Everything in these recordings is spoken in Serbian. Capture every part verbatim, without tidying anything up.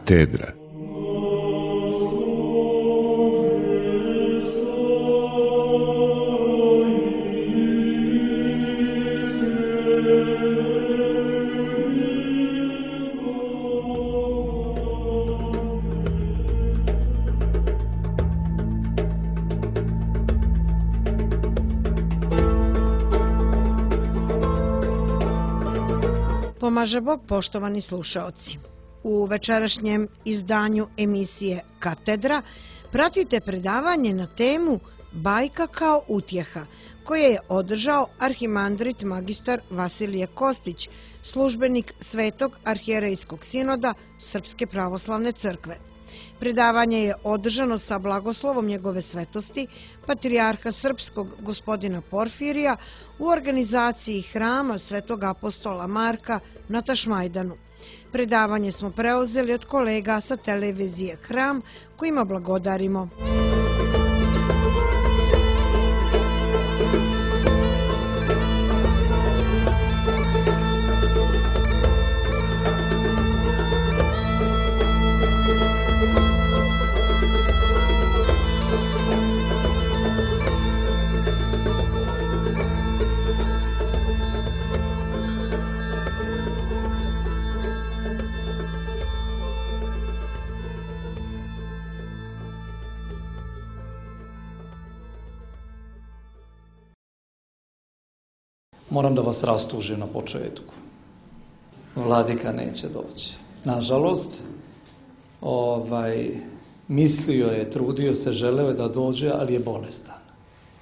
Katedra. Pomaže Bog, poštovani slušaoci. U večerašnjem izdanju emisije Katedra pratite predavanje na temu Bajka kao utjeha, koje je održao arhimandrit magistar Vasilije Kostić, službenik Svetog arhijerejskog sinoda Srpske pravoslavne crkve. Predavanje je održano sa blagoslovom njegove svetosti, patrijarha srpskog gospodina Porfirija, u organizaciji hrama Svetog apostola Marka na Tašmajdanu. Predavanje smo preuzeli od kolega sa televizije Hram, kojima blagodarimo. Moram da vas rastužim na početku. Vladika neće doći. Nažalost, ovaj, mislio je, trudio se, želeo je da dođe, ali je bolestan.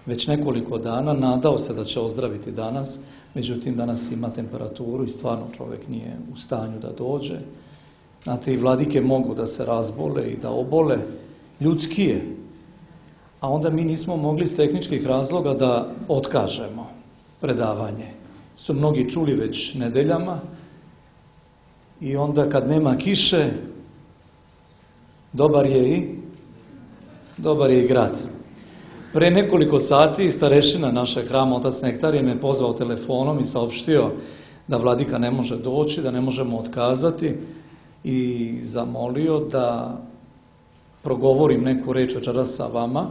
Već nekoliko dana nadao se da će ozdraviti danas, međutim danas ima temperaturu i stvarno čovjek nije u stanju da dođe. Znate, i vladike mogu da se razbole i da obole, ljudski je. A onda mi nismo mogli iz tehničkih razloga da otkažemo predavanje. Su mnogi čuli već nedeljama i onda kad nema kiše, dobar je i dobar je i grad. Pre nekoliko sati starešina našeg hrama, otac Nektarije, me pozvao telefonom i saopštio da vladika ne može doći, da ne možemo otkazati i zamolio da progovorim neku reč večeras sa vama.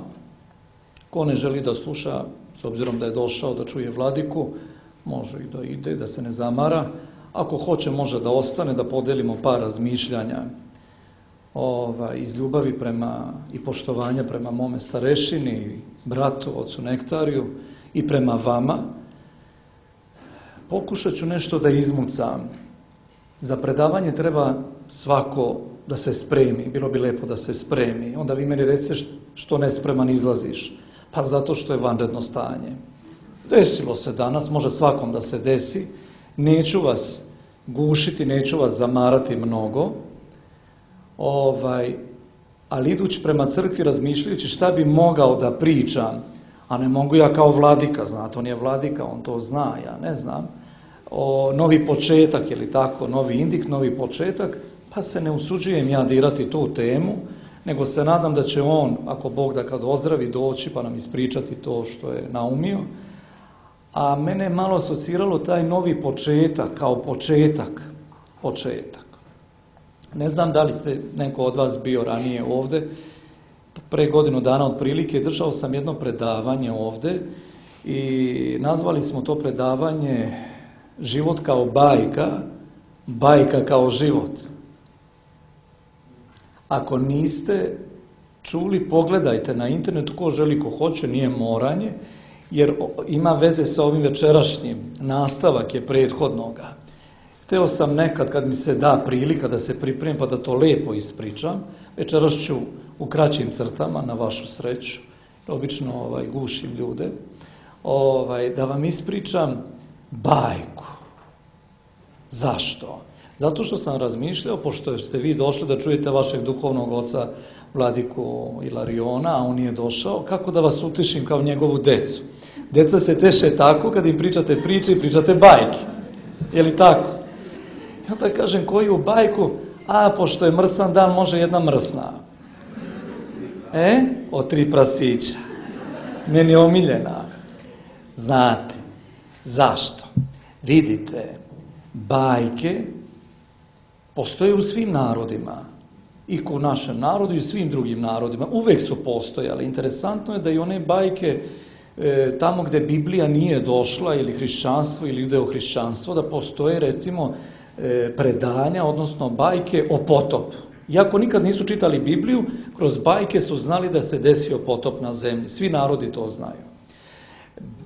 Ko ne želi da sluša, s obzirom da je došao da čuje vladiku, može i da ide, da se ne zamara. Ako hoće, može da ostane, da podelimo par razmišljanja ovaj, iz ljubavi prema i poštovanja prema mome starešini, bratu, ocu Nektariju i prema vama. Pokušat ću nešto da izmucam. Za predavanje treba svako da se spremi. Bilo bi lepo da se spremi. Onda vi meni recite što nespreman izlaziš. Pa zato što je vanredno stanje. Desilo se danas, može svakom da se desi. Neću vas gušiti, neću vas zamarati mnogo. Ovaj, ali idući prema crkvi, razmišljajući šta bi mogao da pričam, a ne mogu ja kao vladika, znate, on je vladika, on to zna, ja ne znam, o novi početak, je li tako, novi indik, novi početak, pa se ne usuđujem ja dirati tu temu, nego se nadam da će on, ako Bog da kad ozdravi, doći pa nam ispričati to što je naumio. A mene je malo asociralo taj novi početak, kao početak, početak. Ne znam da li ste neko od vas bio ranije ovde, pre godinu dana otprilike držao sam jedno predavanje ovde i nazvali smo to predavanje Život kao bajka, bajka kao život. Ako niste čuli, pogledajte na internetu, ko želi, ko hoće, nije moranje, jer ima veze sa ovim večerašnjim, nastavak je prethodnoga. Hteo sam nekad, kad mi se da prilika da se pripremim, pa da to lepo ispričam, večeras ću u kraćim crtama, na vašu sreću, obično ovaj, gušim ljude, ovaj, da vam ispričam bajku. Zašto? Zato što sam razmišljao, pošto ste vi došli da čujete vašeg duhovnog oca Vladiku Ilariona, a on nije došao, kako da vas utišim kao njegovu decu. Deca se teše tako kad im pričate priče i pričate bajke. Je li tako? I onda kažem, koju bajku? A, pošto je mrsan dan, može jedna mrsna. E? O tri prasića. Meni je omiljena. Znate, zašto? Vidite, bajke postoje u svim narodima. I u našem narodu i u svim drugim narodima. Uvek su postojale. Interesantno je da i one bajke e, tamo gde Biblija nije došla ili hrišćanstvo ili judeo-hrišćanstvo, da postoje recimo e, predanja, odnosno bajke o potopu. Iako nikad nisu čitali Bibliju, kroz bajke su znali da se desio potop na zemlji. Svi narodi to znaju.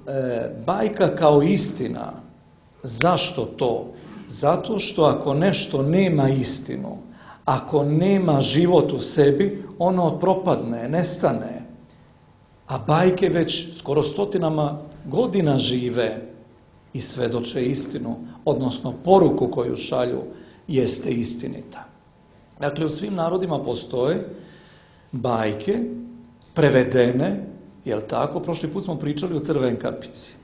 E, bajka kao istina. Zašto to? Zato što ako nešto nema istinu, ako nema život u sebi, ono propadne, nestane. A bajke već skoro stotinama godina žive i svedoče istinu, odnosno poruku koju šalju jeste istinita. Dakle, u svim narodima postoje bajke, prevedene, jel tako? Prošli put smo pričali o Crvenkapici.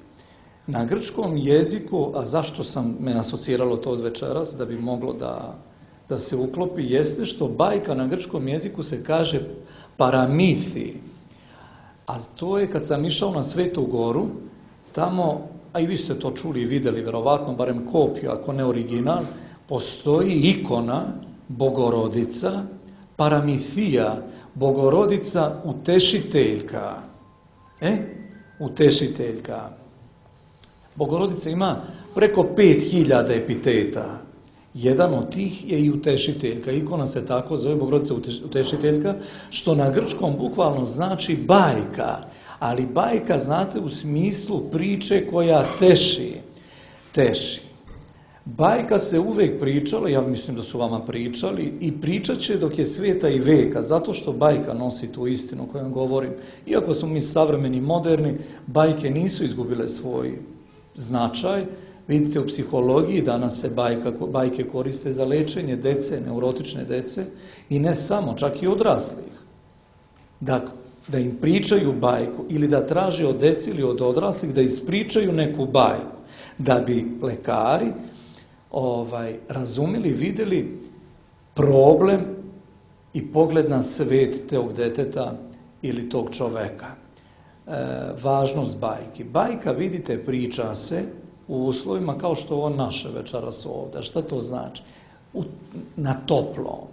Na grčkom jeziku, a zašto sam me asociralo to od večeras, da bi moglo da, da se uklopi, jeste što bajka na grčkom jeziku se kaže paramithi. A to je kad sam išao na Svetu Goru, tamo, a i vi ste to čuli i videli, verovatno, barem kopiju, ako ne original, postoji ikona Bogorodica, paramithija, Bogorodica utešiteljka. E? Utešiteljka. Bogorodica ima preko pet hiljada epiteta. Jedan od tih je i utešiteljka. Ikona se tako zove, Bogorodica utešiteljka, što na grčkom bukvalno znači bajka. Ali bajka, znate, u smislu priče koja teši. Teši. Bajka se uvek pričala, ja mislim da su vama pričali, i pričat će dok je svijeta i veka, zato što bajka nosi tu istinu o kojom govorim. Iako smo mi savremeni, moderni, bajke nisu izgubile svoj značaj. Vidite, u psihologiji danas se bajka, bajke koriste za lečenje dece, neurotične dece, i ne samo, čak i odraslih. Da, da im pričaju bajku ili da traže od dece ili od odraslih da ispričaju neku bajku, da bi lekari ovaj, razumeli, videli problem i pogled na svet tog deteta ili tog čoveka. E, važnost bajki. Bajka, vidite, priča se u uslovima kao što ovo naše večeras ovdje. Šta to znači? U, na toplo.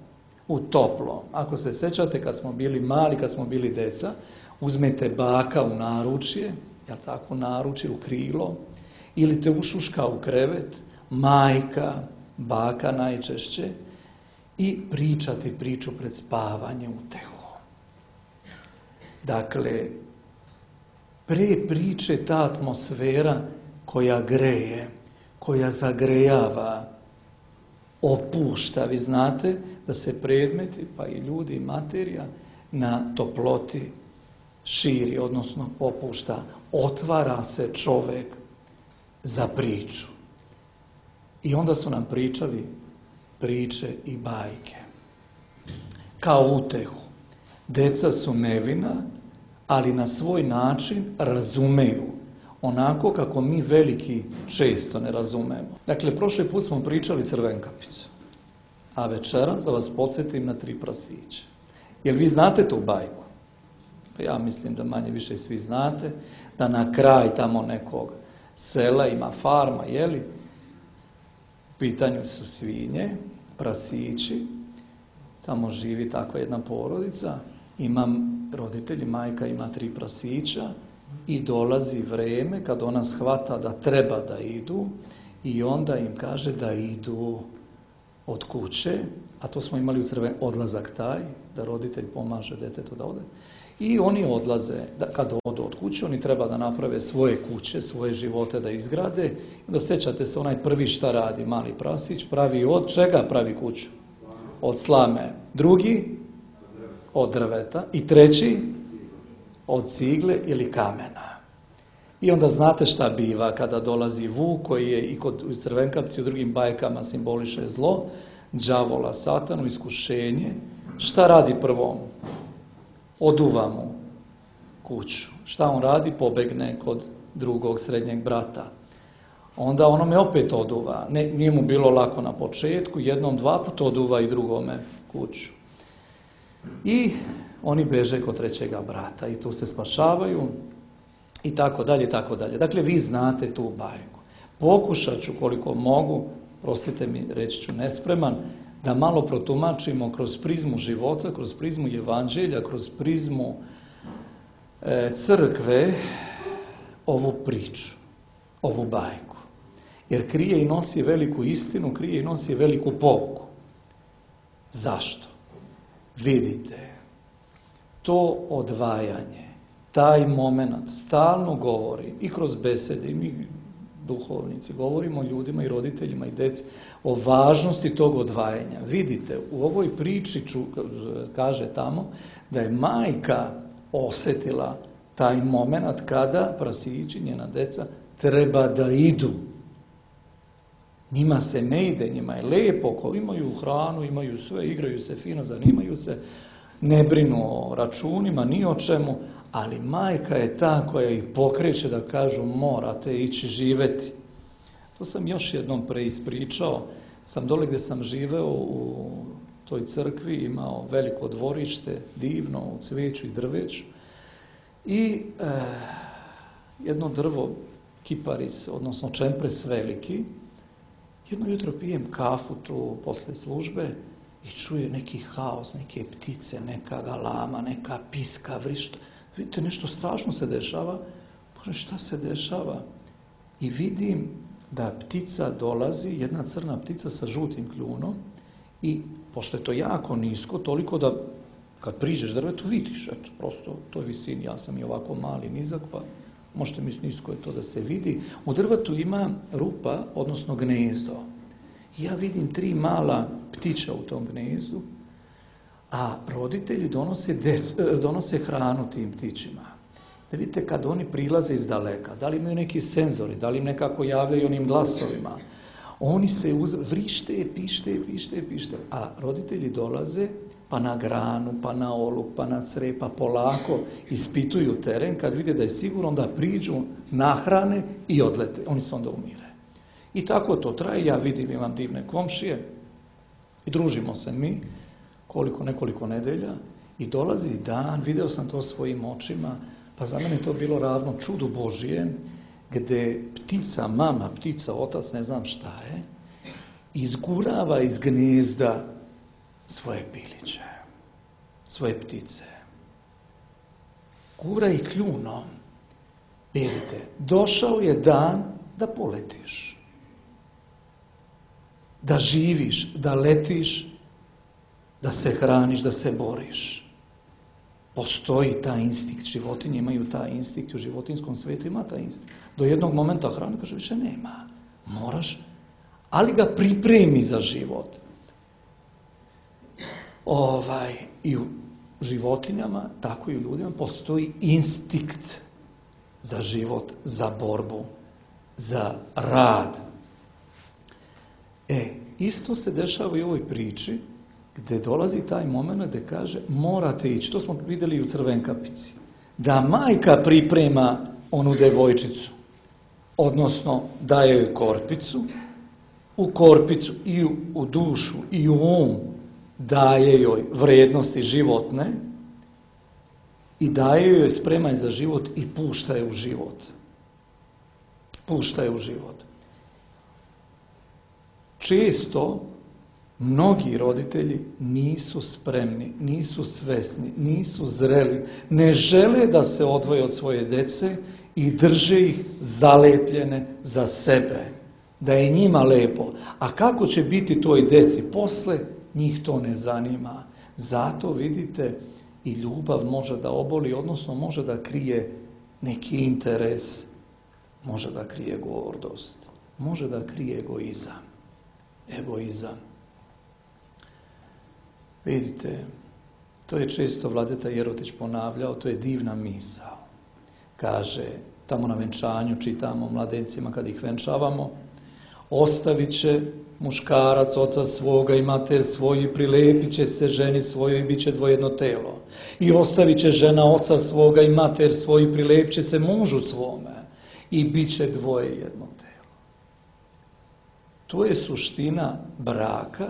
U toplo. Ako se sećate kad smo bili mali, kad smo bili deca, uzmete baka u naručje, jel tako, naručje, u krilo, ili te ušuška u krevet, majka, baka najčešće, i pričati priču pred spavanje utehu. Dakle, pre priče ta atmosfera koja greje, koja zagrejava, opušta. Vi znate da se predmeti, pa i ljudi i materija, na toploti širi, odnosno popušta. Otvara se čovek za priču. I onda su nam pričali priče i bajke. Kao utehu. Deca su nevina, ali na svoj način razumeju. Onako kako mi veliki često ne razumemo. Dakle, prošli put smo pričali Crvenkapicu. A večeras da vas podsjetim na tri prasića. Jel vi znate tu bajku? Pa ja mislim da manje više svi znate, da na kraj tamo nekog sela ima farma, jeli? U pitanju su svinje, prasići, tamo živi takva jedna porodica, imam roditelji, majka ima tri prasića i dolazi vreme kad ona shvata da treba da idu i onda im kaže da idu od kuće, a to smo imali u Crven odlazak taj, da roditelj pomaže detetu da ode. I oni odlaze, da, kad odu od kuće, oni treba da naprave svoje kuće, svoje živote da izgrade. Da sećate se, onaj prvi šta radi, mali prasić, pravi od čega pravi kuću? Od slame. Drugi? Od drveta. I treći? Od cigle ili kamena. I onda znate šta biva kada dolazi vuk, koji je i kod Crvenkapci u drugim bajkama simboliše zlo, đavola, satanu, iskušenje. Šta radi prvom? Oduva mu kuću. Šta on radi? Pobegne kod drugog srednjeg brata. Onda onome opet oduva. Ne, nije mu bilo lako na početku, jednom, dva puta oduva i drugome kuću. I oni beže kod trećega brata i tu se spašavaju i tako dalje, i tako dalje. Dakle, vi znate tu bajku. Pokušat ću koliko mogu, prostite mi, reći ću nespreman, da malo protumačimo kroz prizmu života, kroz prizmu evanđelja, kroz prizmu e, crkve ovu priču, ovu bajku. Jer krije i nosi veliku istinu, krije i nosi veliku pouku. Zašto? Vidite, to odvajanje, taj moment stalno govori i kroz besede i mi duhovnici, govorimo ljudima i roditeljima i deci o važnosti tog odvajanja. Vidite, u ovoj priči ču, kaže tamo da je majka osjetila taj moment kada prasići, njena deca, treba da idu. Njima se ne ide, njima je lijepo, ko imaju hranu, imaju sve, igraju se fino, zanimaju se, ne brinu o računima, ni o čemu, ali majka je ta koja ih pokreće da kažu morate ići živeti. To sam još jednom preispričao. Sam dole gdje sam živeo u toj crkvi, imao veliko dvorište, divno, u cvijeću i drveću. I e, jedno drvo, kiparis, odnosno čempres veliki. Jedno jutro pijem kafu tu posle službe i čuje neki haos, neke ptice, neka galama, neka piska, vrišta. Vidite, nešto strašno se dešava. Bože, šta se dešava? I vidim da ptica dolazi, jedna crna ptica sa žutim kljunom i pošto je to jako nisko, toliko da kad priđeš drvetu vidiš, eto, prosto to je visini, ja sam i ovako mali, nizak, pa možete misliti nisko je to da se vidi. U drvetu ima rupa, odnosno gnezdo. Ja vidim tri mala ptića u tom gnezdu, a roditelji donose, de, donose hranu tim ptićima. Da vidite kad oni prilaze iz daleka, da li imaju neki senzori, da li im nekako javljaju onim glasovima. Oni se uz... vrište, pište, pište, pište, a roditelji dolaze pa na granu, pa na oluk, pa na cre, pa polako ispituju teren, kad vide da je sigurno da priđu, nahrane i odlete. Oni se onda umire. I tako to traje, ja vidim, imam divne komšije i družimo se mi koliko, nekoliko nedelja i dolazi dan, video sam to svojim očima, pa za mene je to bilo ravno čudu Božije, gde ptica, mama, ptica, otac, ne znam šta je, izgurava iz gnezda svoje piliće, svoje ptice. Gura ih kljunom. Vidite, došao je dan da poletiš, da živiš, da letiš, da se hraniš, da se boriš. Postoji taj instinkt, životinje imaju taj instinkt, u životinskom svijetu ima taj instinkt. Do jednog momenta hrane, kaže, više nema. Moraš, ali ga pripremi za život. Ovaj, i u životinjama, tako i u ljudima, postoji instinkt za život, za borbu, za rad. E, isto se dešava i u ovoj priči, gdje dolazi taj moment gdje kaže morate ići, to smo vidjeli i u Crvenkapici, da majka priprema onu devojčicu, odnosno daje joj korpicu, u korpicu i u, u dušu i u um daje joj vrijednosti životne i daje joj spremaj za život i pušta je u život. Pušta je u život. Često mnogi roditelji nisu spremni, nisu svesni, nisu zreli, ne žele da se odvoje od svoje dece i drže ih zalepljene za sebe, da je njima lepo. A kako će biti toj deci posle, njih to ne zanima. Zato vidite, i ljubav može da oboli, odnosno može da krije neki interes, može da krije gordost, može da krije egoizam. Egoizam. Vidite, to je često Vladeta Jerotić ponavljao, to je divna misao. Kaže, tamo na venčanju čitamo mladencima kad ih venčavamo, ostavit će muškarac oca svoga i mater svoju, prilepit će se ženi svojoj i bit će dvojedno telo. I ostavit će žena oca svoga i mater svoju, prilepit će se mužu svome i bit će dvoje jedno telo. To je suština braka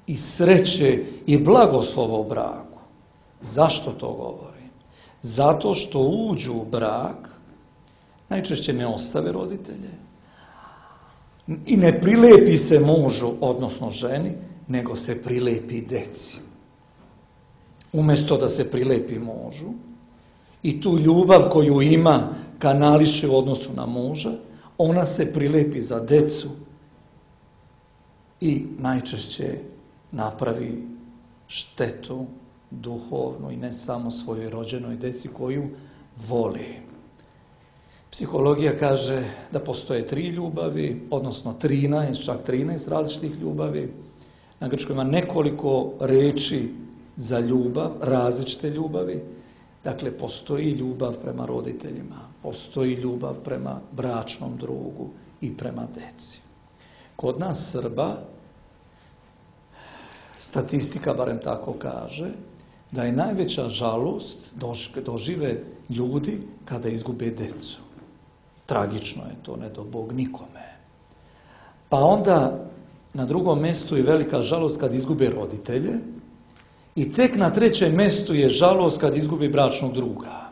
i sreće i blagoslova u braku. Zašto to govorim? Zato što uđu u brak, najčešće ne ostave roditelje i ne prilepi se mužu, odnosno ženi, nego se prilepi deci. Umjesto da se prilepi mužu i tu ljubav koju ima kanališe u odnosu na muža, ona se prilepi za decu i najčešće napravi štetu duhovnu i ne samo svojoj rođenoj deci koju voli. Psihologija kaže da postoje tri ljubavi, odnosno trinaest, čak trinaest različitih ljubavi. Na grčkom ima nekoliko reči za ljubav, različite ljubavi. Dakle, postoji ljubav prema roditeljima, postoji ljubav prema bračnom drugu i prema deci. Kod nas Srba, statistika barem tako kaže, da je najveća žalost dožive ljudi kada izgube decu. Tragično je to, ne do Bog nikome. Pa onda na drugom mjestu je velika žalost kad izgube roditelje i tek na trećem mjestu je žalost kad izgubi bračnog druga.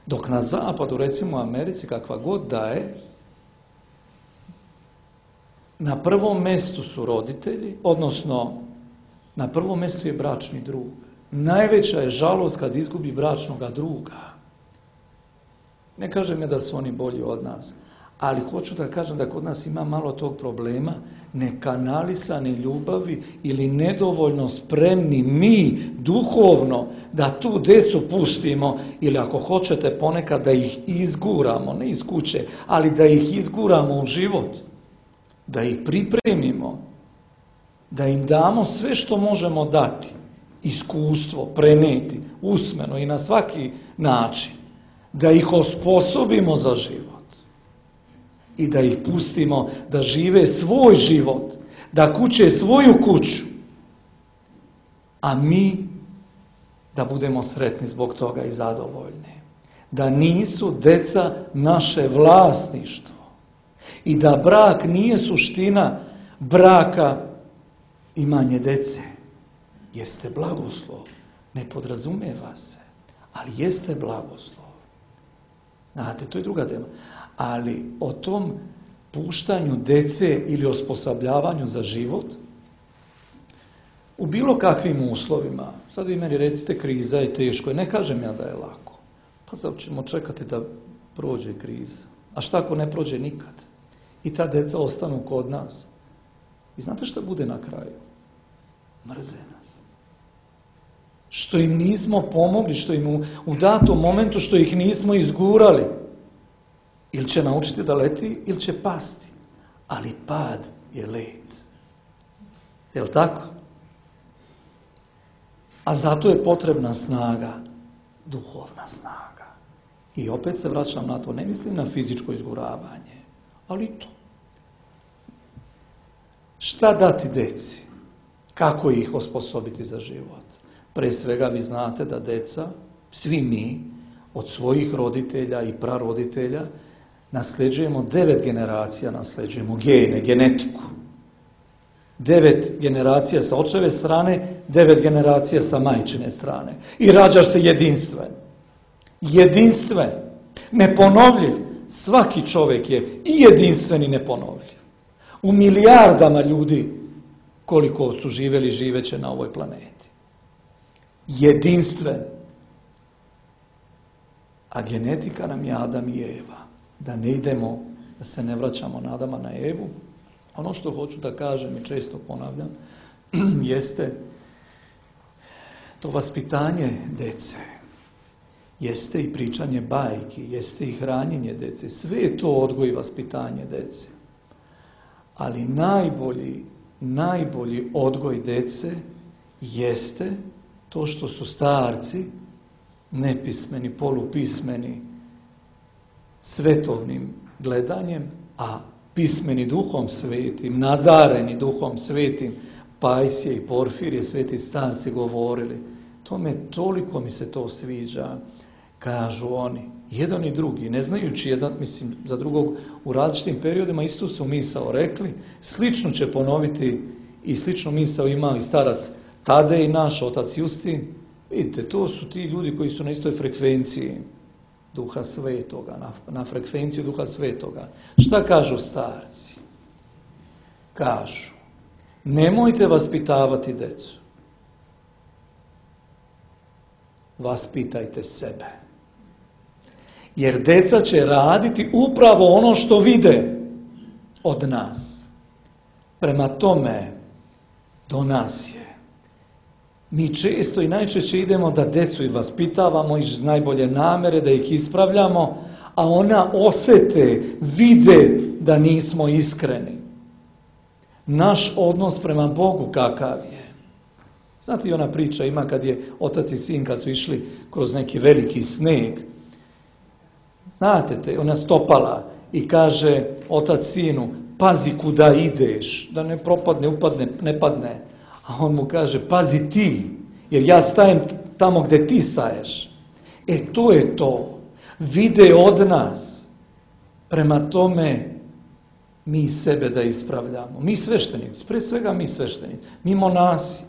Dok na zapadu, recimo u Americi, kakva god da je, na prvom mjestu su roditelji, odnosno na prvom mjestu je bračni drug. Najveća je žalost kad izgubi bračnoga druga. Ne kažem ja da su oni bolji od nas, ali hoću da kažem da kod nas ima malo tog problema nekanalisane ljubavi ili nedovoljno spremni mi duhovno da tu decu pustimo ili ako hoćete ponekad da ih izguramo, ne iz kuće, ali da ih izguramo u život, da ih pripremimo, da im damo sve što možemo dati, iskustvo, preneti, usmeno i na svaki način, da ih osposobimo za život i da ih pustimo da žive svoj život, da kuće svoju kuću, a mi da budemo sretni zbog toga i zadovoljni. Da nisu deca naše vlasništvo i da brak nije suština braka imanje dece. Jeste blagoslov, ne podrazumijeva se, ali jeste blagoslov. Znate, to je druga tema. Ali o tom puštanju dece ili osposobljavanju za život u bilo kakvim uslovima, sad vi meni recite kriza je teško, ne kažem ja da je lako. Pa sad ćemo čekati da prođe kriza. A šta ako ne prođe nikad? I ta deca ostanu kod nas. I znate šta bude na kraju? Mrze nas. Što im nismo pomogli, što im u, u datom momentu, što ih nismo izgurali. Ili će naučiti da leti, ili će pasti. Ali pad je let. Je li tako? A zato je potrebna snaga, duhovna snaga. I opet se vraćam na to, ne mislim na fizičko izguravanje, ali to. Šta dati deci? Kako ih osposobiti za život? Pre svega vi znate da deca, svi mi, od svojih roditelja i praroditelja, nasljeđujemo devet generacija, nasljeđujemo gene, genetiku. Devet generacija sa očeve strane, devet generacija sa majčine strane. I rađaš se jedinstven. Jedinstven, neponovljiv. Svaki čovjek je i jedinstven i neponovljiv. U milijardama ljudi koliko su živjeli, živeće na ovoj planeti. Jedinstven. A genetika nam je Adam i Eva. Da ne idemo, da se ne vraćamo na Adama, na Evu. Ono što hoću da kažem i često ponavljam, jeste to vaspitanje dece. Jeste i pričanje bajki, jeste i hranjenje dece. Sve je to odgoj i vaspitanje dece. Ali najbolji, najbolji odgoj dece jeste to što su starci nepismeni, polupismeni, svetovnim gledanjem, a pismeni duhom svetim, nadareni duhom svetim, Pajsije i Porfirije, sveti starci govorili. Tome toliko mi se to sviđa, kažu oni. Jedan i drugi, ne znajući jedan, mislim, za drugog u različitim periodima isto su misao rekli, slično će ponoviti i sličnu misao ima i starac Tadej, naš otac Justin. Vidite, to su ti ljudi koji su na istoj frekvenciji Duha Svetoga, na, na frekvenciju Duha Svetoga. Šta kažu starci? Kažu, Nemojte vaspitavati decu. Vaspitajte sebe. Jer deca će raditi upravo ono što vide od nas. Prema tome, do nas je. Mi često i najčešće idemo da decu i vaspitavamo iz najbolje namere, da ih ispravljamo, a ona osete, vide da nismo iskreni. Naš odnos prema Bogu kakav je. Znate, i ona priča ima kad je otac i sin, kad su išli kroz neki veliki sneg. Znate te, ona stopala i kaže otac sinu, pazi kuda ideš, da ne propadne, upadne, ne padne. A on mu kaže, pazi ti, jer ja stajem tamo gdje ti staješ. E, to je to. Vide od nas. Prema tome, mi sebe da ispravljamo. Mi sveštenici, pre svega mi sveštenici, mi monasi,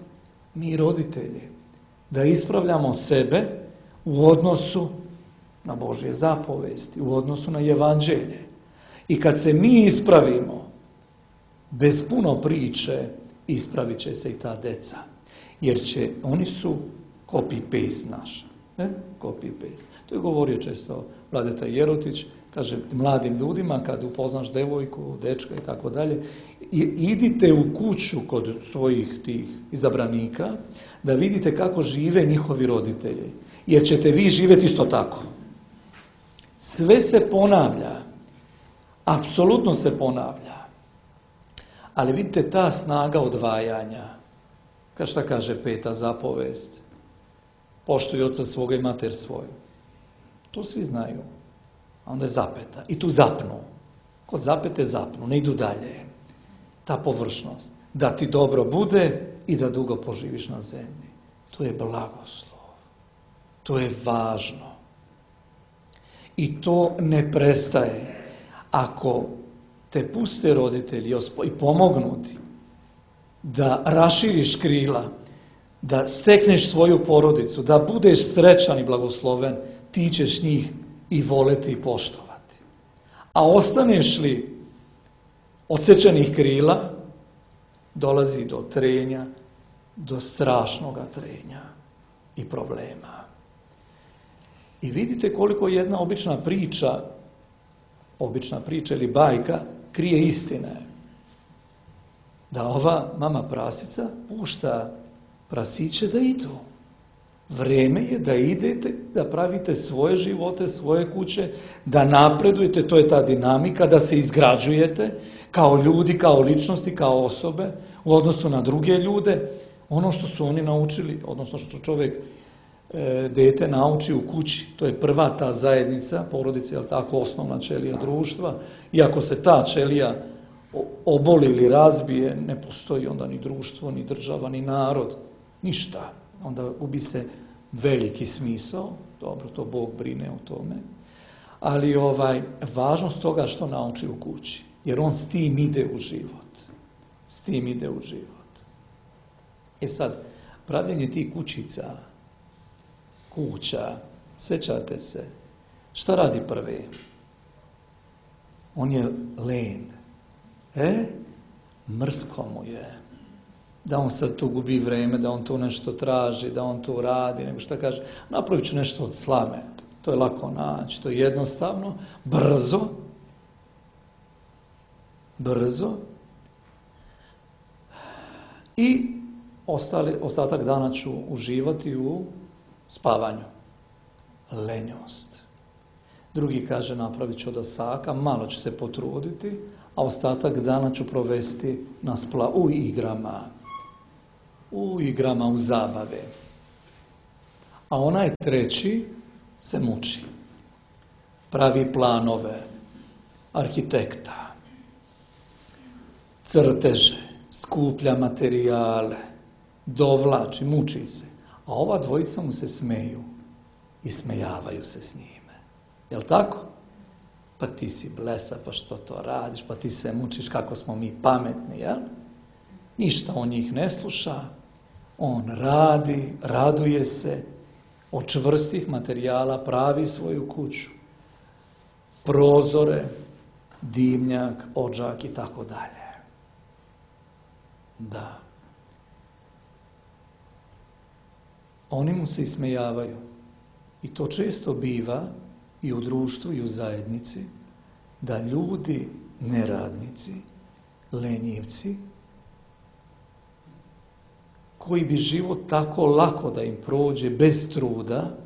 mi roditelji, da ispravljamo sebe u odnosu na Božje zapovesti, u odnosu na evanđelje. I kad se mi ispravimo, bez puno priče, ispravit će se i ta deca. Jer će, oni su copy-paste naša. Ne? Copy-paste. To je govorio često Vladeta Jerotić, kaže mladim ljudima kad upoznaš devojku, dečka i tako dalje, idite u kuću kod svojih tih izabranika da vidite kako žive njihovi roditelji. Jer ćete vi živjeti isto tako. Sve se ponavlja. Apsolutno se ponavlja. Ali vidite ta snaga odvajanja. Kad šta kaže peta zapovest? Poštuj oca svoga i mater svoju. To svi znaju. A onda je zapeta. I tu zapnu. Kod zapete zapnu, ne idu dalje. Ta površnost. Da ti dobro bude i da dugo poživiš na zemlji. To je blagoslov. To je važno. I to ne prestaje. Ako te puste roditelji i pomognu ti da raširiš krila, da stekneš svoju porodicu, da budeš srećan i blagosloven, ti ćeš njih i voleti i poštovati. A ostaneš li odsečenih krila, dolazi do trenja, do strašnoga trenja i problema. I vidite koliko jedna obična priča, obična priča ili bajka, krije istine. Da ova mama prasica pušta prasiće da idu. Vreme je da idete, da pravite svoje živote, svoje kuće, da napredujete, to je ta dinamika, da se izgrađujete kao ljudi, kao ličnosti, kao osobe, u odnosu na druge ljude, ono što su oni naučili, odnosno što čovjek, e, dete nauči u kući, to je prva ta zajednica, porodica, je tako, osnovna ćelija društva, i ako se ta ćelija oboli ili razbije, ne postoji onda ni društvo, ni država, ni narod, ništa. Onda gubi se veliki smisao, dobro, to Bog brine o tome, ali ovaj, važnost toga što nauči u kući, jer on s tim ide u život. S tim ide u život. E sad, pravljenje tih kućica, kuća, sjećate se, šta radi prvi? On je len. E? Mrsko mu je. Da on sad tu gubi vreme, da on tu nešto traži, da on tu radi, nego šta kaže, napravit ću nešto od slame. To je lako naći, to je jednostavno, brzo, brzo i ostali, ostatak dana ću uživati u spavanju. Lenjost. Drugi kaže, napravit ću od osaka, malo ću se potruditi, a ostatak dana ću provesti na spla, u igrama. U igrama, u zabave. A onaj treći se muči. Pravi planove, arhitekta, crteže, skuplja materijale, dovlači, muči se. A ova dvojica mu se smeju i smejavaju se s njime. Jel' tako? Pa ti si blesa, pa što to radiš, pa ti se mučiš kako smo mi pametni, jel? Ništa on njih ne sluša, on radi, raduje se, od čvrstih materijala pravi svoju kuću, prozore, dimnjak, odžak i tako dalje. Da. Oni mu se ismejavaju. I to često biva i u društvu i u zajednici, da ljudi, neradnici, lenjivci, koji bi život tako lako da im prođe, bez truda,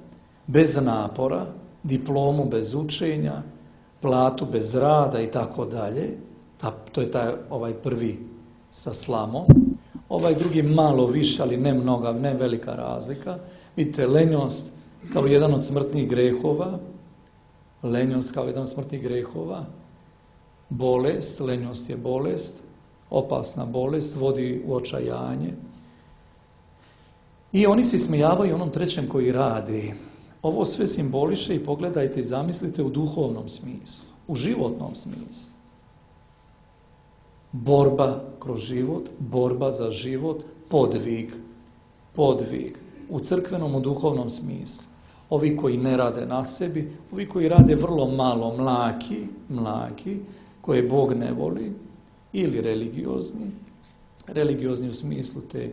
bez napora, diplomu bez učenja, platu bez rada i tako dalje, to je taj ovaj prvi sa slamom, ovaj drugi malo više, ali ne mnoga, ne velika razlika. Vidite, lenjost kao jedan od smrtnih grehova, lenjost kao jedan od smrtnih grehova, bolest, lenjost je bolest, opasna bolest, vodi u očajanje. I oni se ismijavaju onom trećem koji radi. Ovo sve simboliše i pogledajte i zamislite u duhovnom smislu, u životnom smislu. Borba kroz život, borba za život, podvig, podvig. U crkvenom, u duhovnom smislu. Ovi koji ne rade na sebi, ovi koji rade vrlo malo, mlaki, mlaki, koje Bog ne voli, ili religiozni, religiozni u smislu te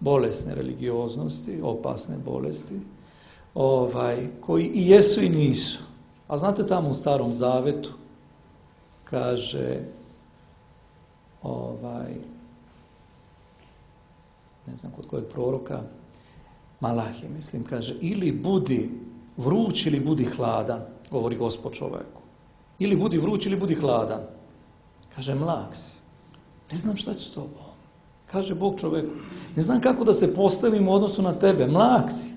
bolesne religioznosti, opasne bolesti, ovaj, koji i jesu i nisu. A znate, tamo u Starom Zavetu kaže, ovaj, ne znam kod kojeg proroka, Malahije, mislim, kaže, ili budi vruć ili budi hladan, govori Gospod čoveku. Ili budi vruć ili budi hladan. Kaže, mlak si. Ne znam šta ću s tobom. Kaže Bog čoveku, ne znam kako da se postavim u odnosu na tebe, mlak si.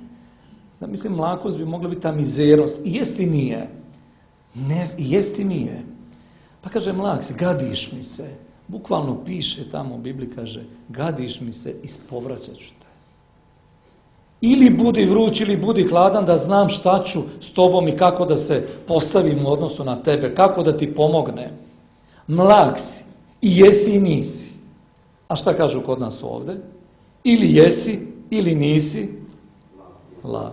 Znam, mislim, mlakost bi mogla biti ta mizernost. I jest i nije. Ne, i jest i nije. Pa kaže, mlak si, gadiš mi se. Bukvalno piše tamo u Bibliji, kaže, gadiš mi se, ispovraćat ću te. Ili budi vruć, ili budi hladan, da znam šta ću s tobom i kako da se postavim u odnosu na tebe, kako da ti pomognem. Mlak si, i jesi i nisi. A šta kažu kod nas ovdje? Ili jesi, ili nisi, lav.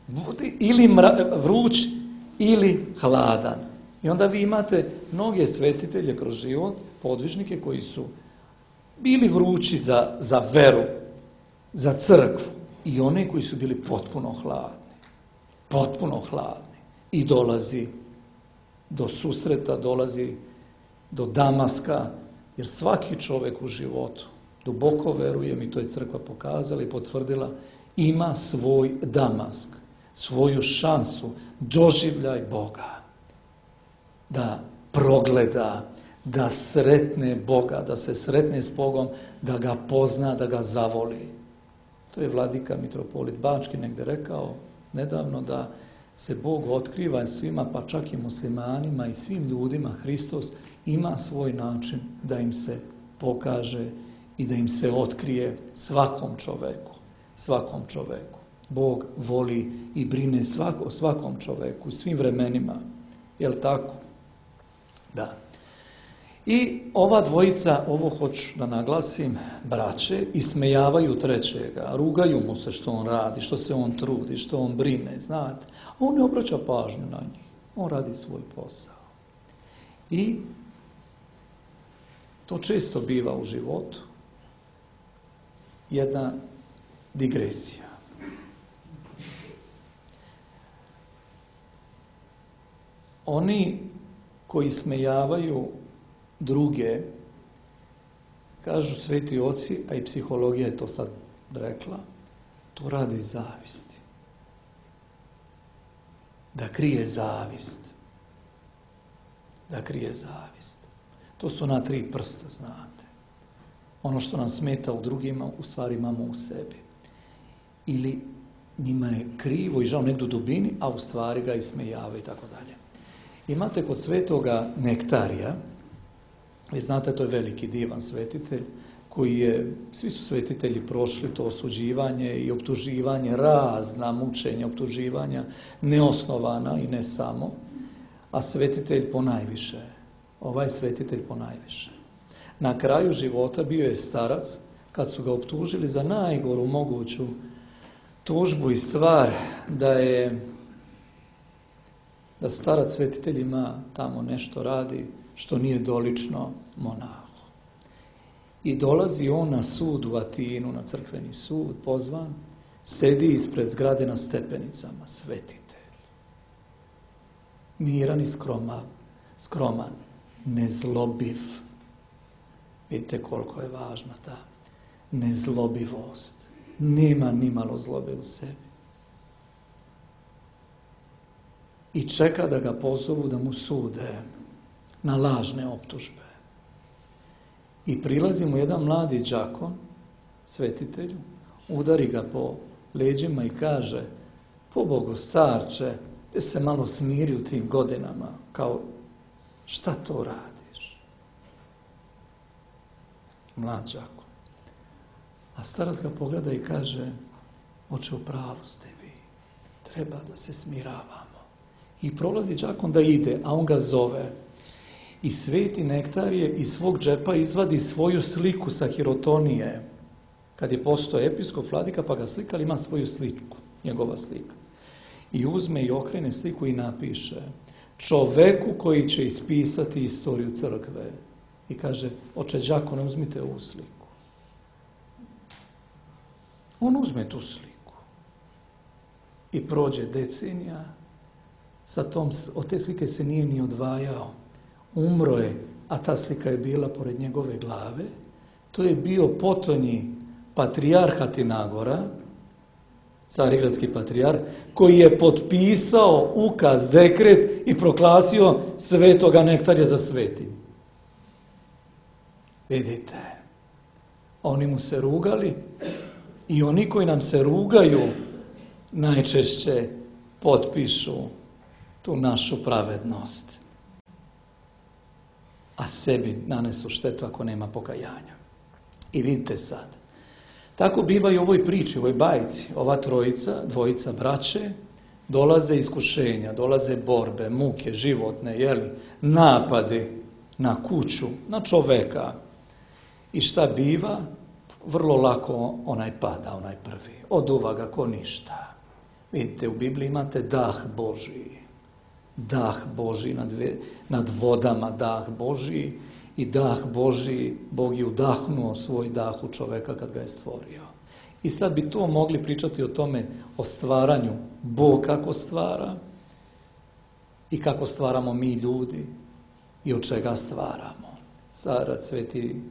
Budi ili mra, vruć, ili hladan. I onda vi imate mnoge svetitelje kroz život, podvižnike koji su bili vrući za, za veru, za crkvu, i one koji su bili potpuno hladni. Potpuno hladni. I dolazi do susreta, dolazi do Damaska, jer svaki čovjek u životu, duboko verujem, i to je crkva pokazala i potvrdila, ima svoj Damask, svoju šansu, doživljaj Boga. Da progleda, da sretne Boga, da se sretne s Bogom, da ga pozna, da ga zavoli. To je vladika mitropolit Bački negdje rekao nedavno, da se Bog otkriva svima, pa čak i muslimanima i svim ljudima. Hristos ima svoj način da im se pokaže i da im se otkrije, svakom čoveku. Svakom čoveku. Bog voli i brine svako, svakom čoveku, svim vremenima. Jel' tako? Da. I ova dvojica, ovo hoću da naglasim, braće, ismejavaju trećega, rugaju mu se što on radi, što se on trudi, što on brine, znate. On ne obraća pažnju na njih. On radi svoj posao. I to često biva u životu jedna digresija. Oni koji smejavaju druge, kažu sveti oci, a i psihologija je to sad rekla, to radi zavisti. Da krije zavist. Da krije zavist. To su ona tri prsta, znate. Ono što nam smeta u drugima, u stvari imamo u sebi. Ili njima je krivo i žao negdje u dubini, a u stvari ga ismejavaju i tako dalje. Imate kod svetoga Nektarija, vi znate, to je veliki divan svetitelj, koji je, svi su svetitelji prošli to osuđivanje i optuživanje, razna mučenja, optuživanja, neosnovana i ne samo, a svetitelj ponajviše, ovaj svetitelj ponajviše. Na kraju života bio je starac, kad su ga optužili za najgoru moguću tužbu i stvar, da je da starac svetitelj ima tamo nešto radi što nije dolično monahu. I dolazi on na sud u Atinu, na crkveni sud, pozvan, sedi ispred zgrade na stepenicama, svetitelj. Miran i skroman, skroman, nezlobiv. Vidite koliko je važna ta nezlobivost. Nema ni malo zlobe u sebi. I čeka da ga pozovu da mu sude na lažne optužbe. I prilazi mu jedan mladi đakon, svetitelju, udari ga po leđima i kaže: pobogu starče, ti se malo smiri u tim godinama, kao šta to radiš? Mlad đakon. A starac ga pogleda i kaže: oče, u pravu ste vi, treba da se smiravamo. I prolazi đakon da ide, a on ga zove. I sveti Nektarije iz svog džepa izvadi svoju sliku sa Hirotonije. Kad je postao episkop, vladika, pa ga slikali, ima svoju sliku, njegova slika. I uzme i okrene sliku i napiše: čoveku koji će ispisati istoriju crkve. I kaže: oče đakone, uzmite ovu sliku. On uzme tu sliku. I prođe decenija, sa tom, od te slike se nije ni odvajao. Umro je, a ta slika je bila pored njegove glave. To je bio potonji patrijarh Atinagora, carigradski patrijarh, koji je potpisao ukaz, dekret i proglasio svetoga Nektarija za svetim. Vidite, oni mu se rugali i oni koji nam se rugaju najčešće potpišu tu našu pravednost, a sebi nanesu štetu ako nema pokajanja. I vidite sad, tako biva i u ovoj priči, u ovoj bajci. Ova trojica, dvojica braće, dolaze iskušenja, dolaze borbe, muke, životne, jeli, napadi na kuću, na čoveka. I šta biva? Vrlo lako onaj pada, onaj prvi. Oduva ga ko ništa. Vidite, u Bibliji imate dah Božiji. Dah Božiji nad, nad vodama, dah Božiji. I dah Božiji, Bog je udahnuo svoj dah u čoveka kad ga je stvorio. I sad bi to mogli pričati o tome, o stvaranju. Bog kako stvara i kako stvaramo mi ljudi i od čega stvaramo. Starac sveti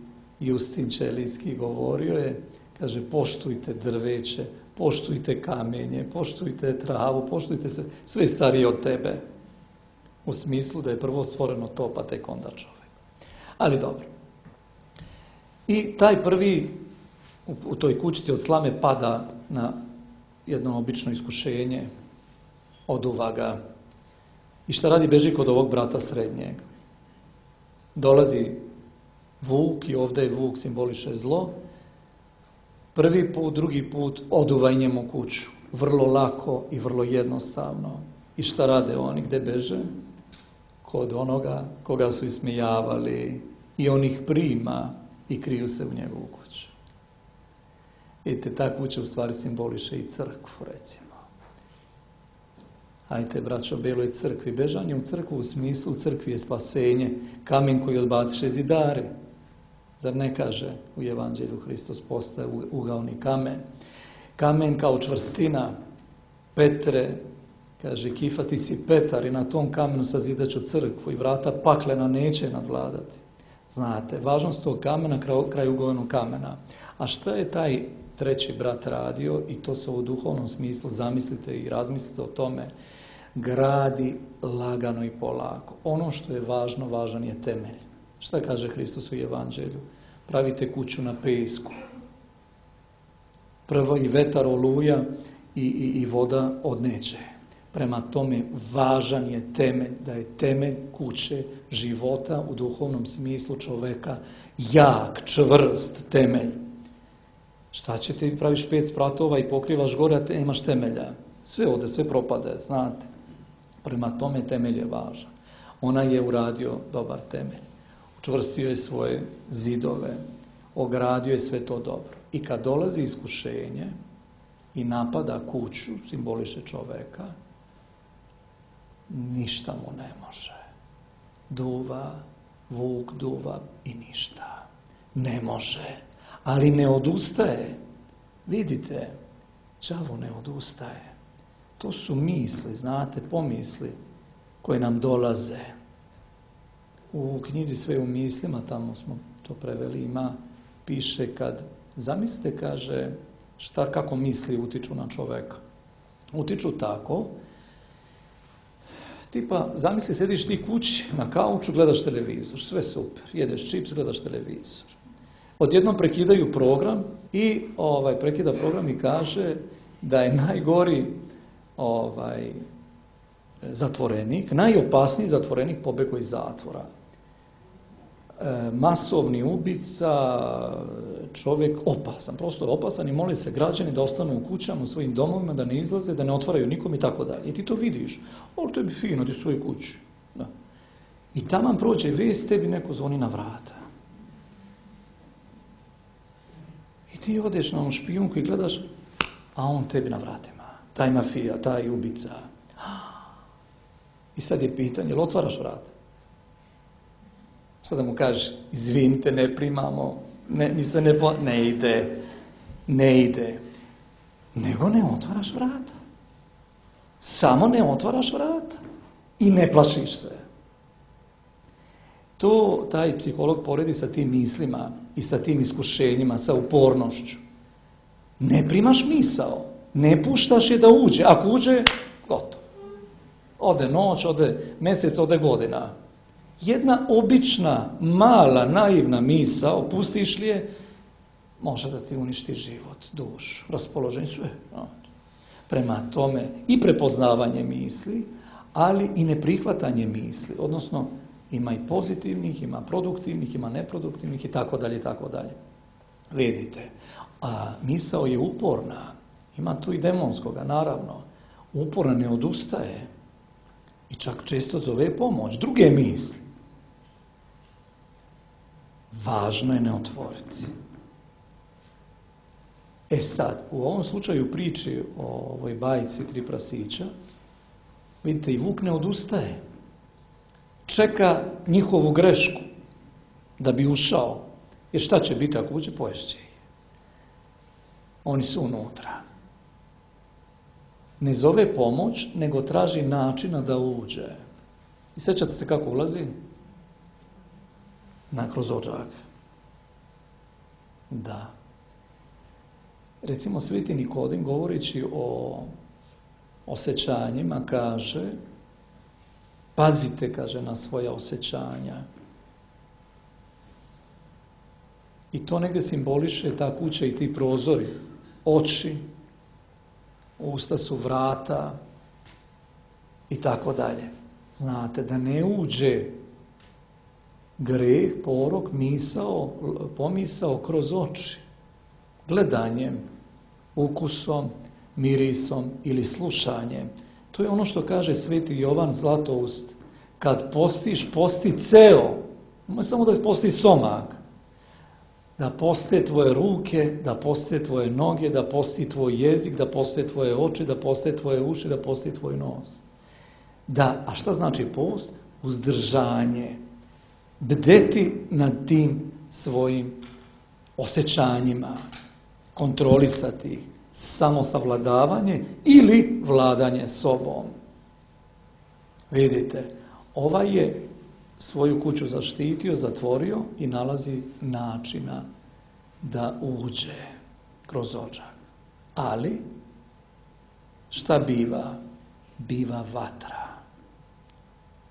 Justin Ćelijski govorio je, kaže: poštujte drveće, poštujte kamenje, poštujte travu, poštujte sve, sve starije od tebe. U smislu da je prvo stvoreno to, pa tek onda čovjek. Ali dobro. I taj prvi u, u toj kućici od slame pada na jedno obično iskušenje, oduva ga. I šta radi? Beži kod ovog brata srednjeg. Dolazi vuk i ovdje je vuk simboliše zlo. Prvi put, drugi put oduva i njemu kuću. Vrlo lako i vrlo jednostavno. I šta rade oni? Gde beže? Kod onoga koga su ismijavali, i on ih prima i kriju se u njegovu kuću. Vidite, ta kuća u stvari simboliše i crkvu, recimo. Ajte, braćo, beloj crkvi. Bežanje u crkvu u smislu, u crkvi je spasenje, kamen koji odbaciše zidari. Zar ne kaže u Evanđelju Hristos postaje ugaoni kamen? Kamen kao čvrstina. Petre, kaže, Kifa, ti si Petar i na tom kamenu sazidaću crkvu i vrata paklena neće nadvladati. Znate, važnost tog kamena kraj ugovenog kamena. A šta je taj treći brat radio, i to se u duhovnom smislu zamislite i razmislite o tome, gradi lagano i polako. Ono što je važno, važan je temelj. Šta kaže Hristos u Evanđelju? Pravite kuću na pesku. Prvo i vetar, oluja i, i, i voda odneće. Prema tome, važan je temelj, da je temelj kuće života u duhovnom smislu čoveka jak, čvrst temelj. Šta će ti, praviš pet spratova i pokrivaš gore, a te nemaš temelja. Sve ode, sve propade, znate. Prema tome, temelj je važan. Ona je uradio dobar temelj. Učvrstio je svoje zidove, ogradio je sve to dobro. I kad dolazi iskušenje i napada kuću, simboliše čoveka, ništa mu ne može. Duva, vuk duva i ništa. Ne može, ali ne odustaje. Vidite, đavo ne odustaje. To su misli, znate, pomisli koje nam dolaze. U knjizi Sve u mislima, tamo smo to preveli, ima, piše kad, zamislite, kaže, šta, kako misli utiču na čoveka. Utiču tako, tipa, zamisli, sediš ti kući, na kauču, gledaš televizor, sve super, jedeš čips, gledaš televizor. Odjednom prekidaju program i ovaj, prekida program i kaže da je najgori ovaj, zatvorenik, najopasniji zatvorenik pobegao iz zatvora. E, masovni ubica, čovjek opasan, prosto opasan i moli se građani da ostanu u kućama, u svojim domovima, da ne izlaze, da ne otvaraju nikom i tako dalje. I ti to vidiš. O, tebi fino, ti u svojoj kući. Da. I taman prođe vijest, tebi neko zvoni na vrata. I ti odeš na onu špijunku i gledaš, a on tebi na vratima. Taj mafija, taj ubica. I sad je pitanje, jel otvaraš vrata? Šta da mu kažeš, izvinite, ne primamo, ne, mi se ne, po... ne ide, ne ide. Nego ne otvaraš vrata. Samo ne otvaraš vrata. I ne plašiš se. To taj psiholog poredi sa tim mislima i sa tim iskušenjima, sa upornošću. Ne primaš misao, ne puštaš je da uđe. Ako uđe, gotovo. Ode noć, ode mjesec, ode godina. Jedna obična, mala, naivna misao, pustiš li je, može da ti uništi život, dušu, raspoloženje, sve. Prema tome i prepoznavanje misli, ali i neprihvatanje misli, odnosno ima i pozitivnih, ima produktivnih, ima neproduktivnih i tako dalje, i tako dalje. Vidite, a misao je uporna, ima tu i demonskoga, naravno, uporna, ne odustaje i čak često zove pomoć, druge misli. Važno je ne otvoriti. E sad, u ovom slučaju priči o ovoj bajci Tri prasića, vidite, i vuk ne odustaje. Čeka njihovu grešku da bi ušao. Jer šta će biti ako uđe? Poješće ih. Oni su unutra. Ne zove pomoć, nego traži načina da uđe. I sjećate se kako ulazi? Na kroz odžak. Da. Recimo Sveti Nikodim, govoreći o osjećanjima, kaže, pazite, kaže, na svoja osjećanja. I to negdje simboliše ta kuća i ti prozori. Oči, usta su vrata i tako dalje. Znate, da ne uđe greh, porok, misao, pomisao kroz oči. Gledanjem, ukusom, mirisom ili slušanjem. To je ono što kaže Sveti Jovan Zlatoust. Kad postiš, posti ceo. Ne samo da posti stomak. Da poste tvoje ruke, da poste tvoje noge, da posti tvoj jezik, da poste tvoje oči, da poste tvoje uši, da posti tvoj nos. Da, a šta znači post? Uzdržanje. Bdeti nad tim svojim osjećanjima. Kontrolisati ih. Samosavladavanje ili vladanje sobom. Vidite, ovaj je svoju kuću zaštitio, zatvorio i nalazi načina da uđe kroz odžak. Ali, šta biva? Biva vatra.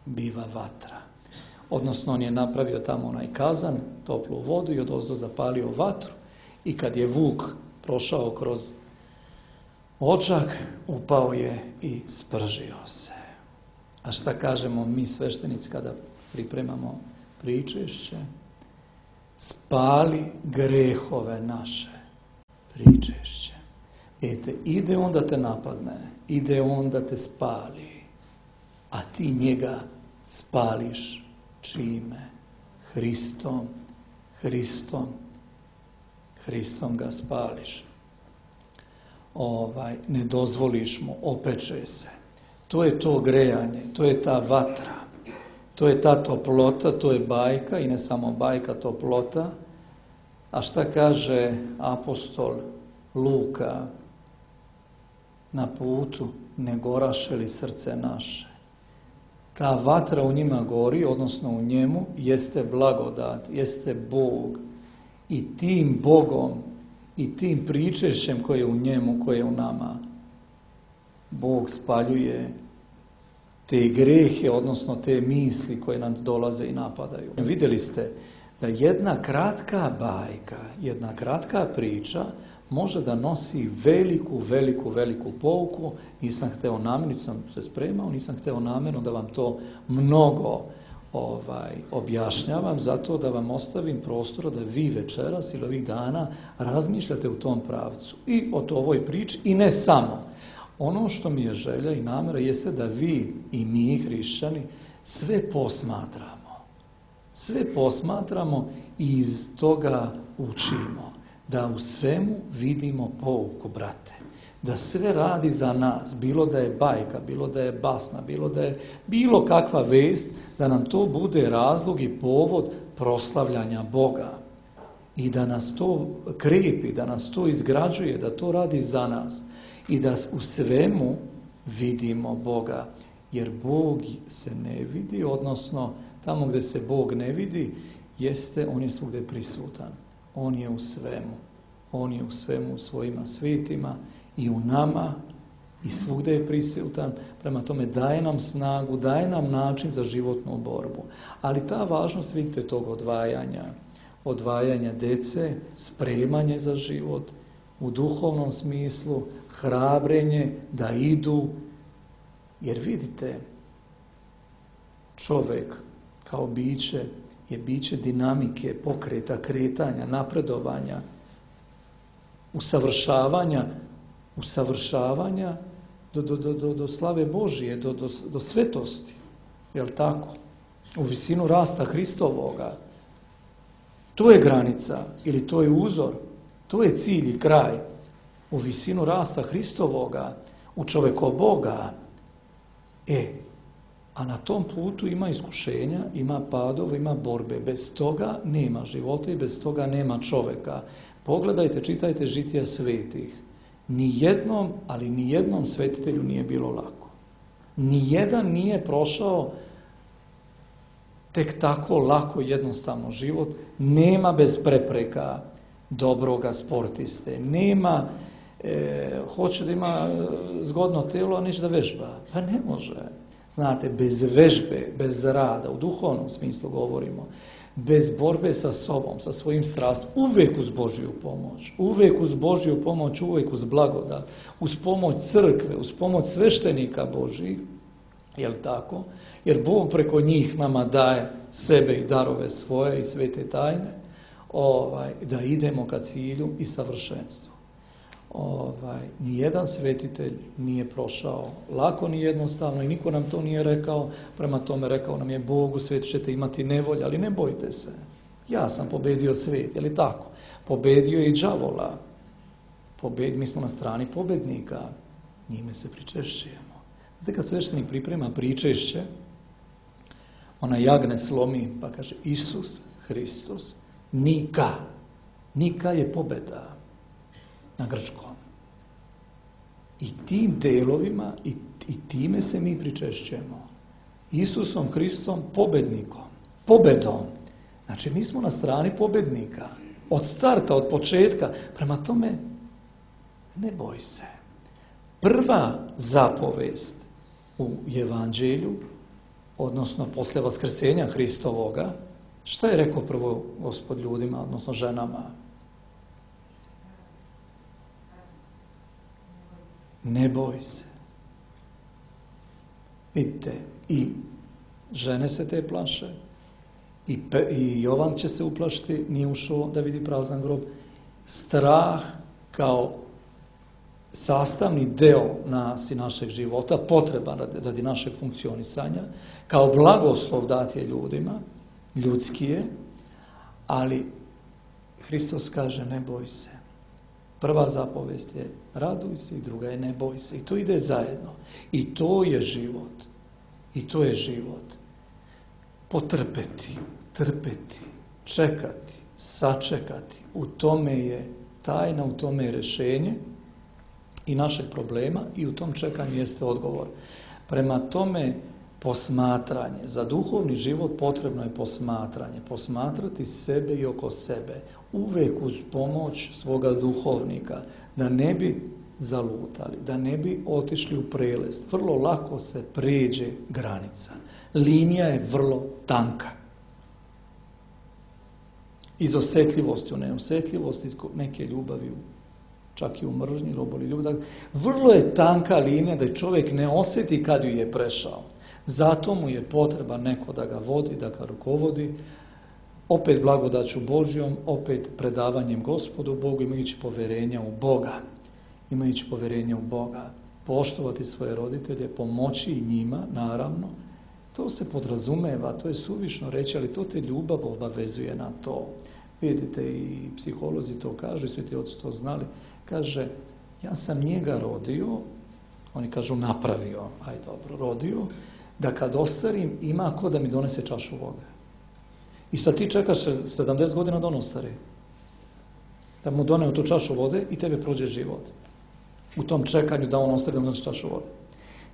Biva vatra. Odnosno, on je napravio tamo onaj kazan, toplu vodu i odozdo zapalio vatru i kad je vuk prošao kroz odžak, upao je i spržio se. A šta kažemo mi sveštenici kada pripremamo pričešće? Spali grehove naše. Pričešće. Vidite, ide on da te napadne, ide on da te spali, a ti njega spališ čime? Hristom, Hristom, Hristom ga spališ. Ovaj, ne dozvoliš mu, opeče se. To je to grejanje, to je ta vatra, to je ta toplota, to je bajka i ne samo bajka, toplota A šta kaže apostol Luka? Na putu ne goraše li srce naše? Ta vatra u njima gori, odnosno u njemu, jeste blagodat, jeste Bog. I tim Bogom i tim pričešćem koje je u njemu, koje je u nama, Bog spaljuje te grehe, odnosno te misli koje nam dolaze i napadaju. Vidjeli ste da jedna kratka bajka, jedna kratka priča može da nosi veliku, veliku, veliku pouku. Nisam hteo namjerno, nisam se spremao, nisam hteo namjerno da vam to mnogo ovaj, objašnjavam, zato da vam ostavim prostora da vi večeras ili ovih dana razmišljate u tom pravcu i o ovoj priči i ne samo. Ono što mi je želja i namjera jeste da vi i mi, hrišćani, sve posmatramo. Sve posmatramo i iz toga učimo. Da u svemu vidimo pouku, brate. Da sve radi za nas, bilo da je bajka, bilo da je basna, bilo da je bilo kakva vest, da nam to bude razlog i povod proslavljanja Boga. I da nas to krepi, da nas to izgrađuje, da to radi za nas. I da u svemu vidimo Boga. Jer Bog se ne vidi, odnosno tamo gdje se Bog ne vidi, jeste, on je svugdje prisutan. On je u svemu. On je u svemu, u svojima svetima i u nama i svugdje je prisutan. Prema tome daje nam snagu, daje nam način za životnu borbu. Ali ta važnost, vidite, tog odvajanja, odvajanja dece, spremanje za život, u duhovnom smislu, hrabrenje da idu. Jer vidite, čovjek kao biće je biće dinamike, pokreta, kretanja, napredovanja, usavršavanja, usavršavanja do, do, do, do, do slave Božije, do, do, do svetosti. Jel tako? U visinu rasta Hristovoga. To je granica ili to je uzor, to je cilj i kraj. U visinu rasta Hristovoga, u čovjeko Boga. E, a na tom putu ima iskušenja, ima padova, ima borbe. Bez toga nema života i bez toga nema čovjeka. Pogledajte, čitajte žitija svetih. Nijednom, ali nijednom svetitelju nije bilo lako. Nijedan nije prošao tek tako lako, jednostavno život. Nema bez prepreka dobroga sportiste. Nema, e, hoće da ima zgodno telo, a neće da vežba. Pa ne može. Znate, bez vežbe, bez rada, u duhovnom smislu govorimo, bez borbe sa sobom, sa svojim strastom, uvijek uz Božju pomoć, uvijek uz Božju pomoć, uvijek uz blagodat, uz pomoć crkve, uz pomoć sveštenika Božjih, jel tako? Jer Bog preko njih nama daje sebe i darove svoje i svete tajne, ovaj, da idemo ka cilju i savršenstvu. Ovaj, nijedan svetitelj nije prošao lako ni jednostavno i niko nam to nije rekao. Prema tome rekao nam je Bog, u svijetu ćete imati nevolje, ali ne bojte se. Ja sam pobedio svijet, je li tako? Pobedio je i đavola. Pobed, mi smo na strani pobednika, njime se pričešćujemo. Znate, kad sveštenik priprema pričešće, ona jagne slomi pa kaže Isus Hristos, nika. Nika je pobeda. Na grčkom. I tim delovima i, i time se mi pričešćujemo. Isusom Hristom pobednikom. Pobedom. Znači mi smo na strani pobednika. Od starta, od početka. Prema tome, ne boj se. Prva zapovest u evanđelju, odnosno posle vaskrsenja Hristovoga, šta je rekao prvo Gospod ljudima, odnosno ženama? Ne boj se. Vidite, i žene se te plaše, i, pe, i Jovan će se uplašiti, nije ušao da vidi prazan grob. Strah kao sastavni deo nas i našeg života, potreban radi, radi našeg funkcionisanja, kao blagoslov dat je ljudima, ljudski je, ali Hristos kaže ne boj se. Prva zapovest je raduj se i druga je ne boj se. I to ide zajedno. I to je život. I to je život. Potrpeti, trpeti, čekati, sačekati. U tome je tajna, u tome je rješenje i našeg problema i u tom čekanju jeste odgovor. Prema tome, posmatranje. Za duhovni život potrebno je posmatranje. Posmatrati sebe i oko sebe. Uvijek uz pomoć svoga duhovnika. Da ne bi zalutali, da ne bi otišli u prelest. Vrlo lako se pređe granica. Linija je vrlo tanka. Iz osjetljivosti u neosjetljivosti, iz neke ljubavi, čak i u mržnji, oboli ljubav. Vrlo je tanka linija da čovjek ne osjeti kad ju je prešao. Zato mu je potreba neko da ga vodi, da ga rukovodi, opet blagodaću Božjom, opet predavanjem Gospodu Bogu, imajući povjerenja u Boga. Imajući povjerenja u Boga. Poštovati svoje roditelje, pomoći i njima, naravno. To se podrazumeva, to je suvišno reći, ali to te ljubav obavezuje na to. Vidite, i psiholozi to kažu, i sveti oci to znali. Kaže, ja sam njega rodio, oni kažu napravio, aj dobro, rodio, da kad ostarim ima ko da mi donese čašu vode. I sad ti čekaš sedamdeset godina da on ostari. Da mu doneo tu čašu vode i tebe prođe život. U tom čekanju da on ostari da mu donese čašu vode.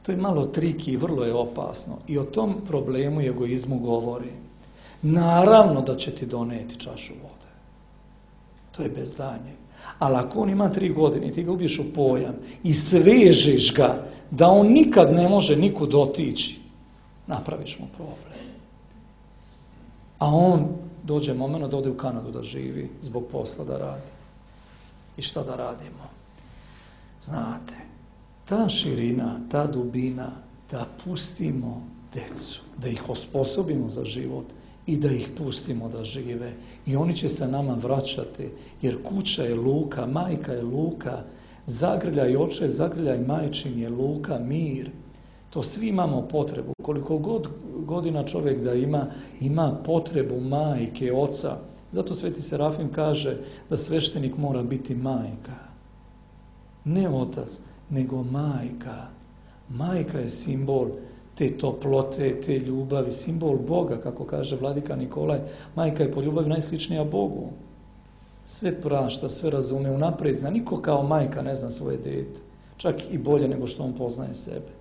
To je malo triki i vrlo je opasno. I o tom problemu i egoizmu govori. Naravno da će ti doneti čašu vode. To je bez daljnjeg. Ali ako on ima tri godine i ti ga ubiješ u pojam i svežeš ga da on nikad ne može nikud otići, napraviš mu problem. A on dođe moment da ode u Kanadu da živi, zbog posla da radi. I šta da radimo? Znate, ta širina, ta dubina, da pustimo decu, da ih osposobimo za život i da ih pustimo da žive. I oni će se nama vraćati, jer kuća je luka, majka je luka, zagrljaj očev, zagrljaj majčin je luka, mir. To svi imamo potrebu. Koliko god godina čovjek da ima, ima potrebu majke, oca. Zato Sveti Serafim kaže da sveštenik mora biti majka. Ne otac, nego majka. Majka je simbol te toplote, te ljubavi, simbol Boga, kako kaže vladika Nikolaj. Majka je po ljubavi najsličnija Bogu. Sve prašta, sve razume, unaprijed zna. Niko kao majka ne zna svoje dete. Čak i bolje nego što on poznaje sebe.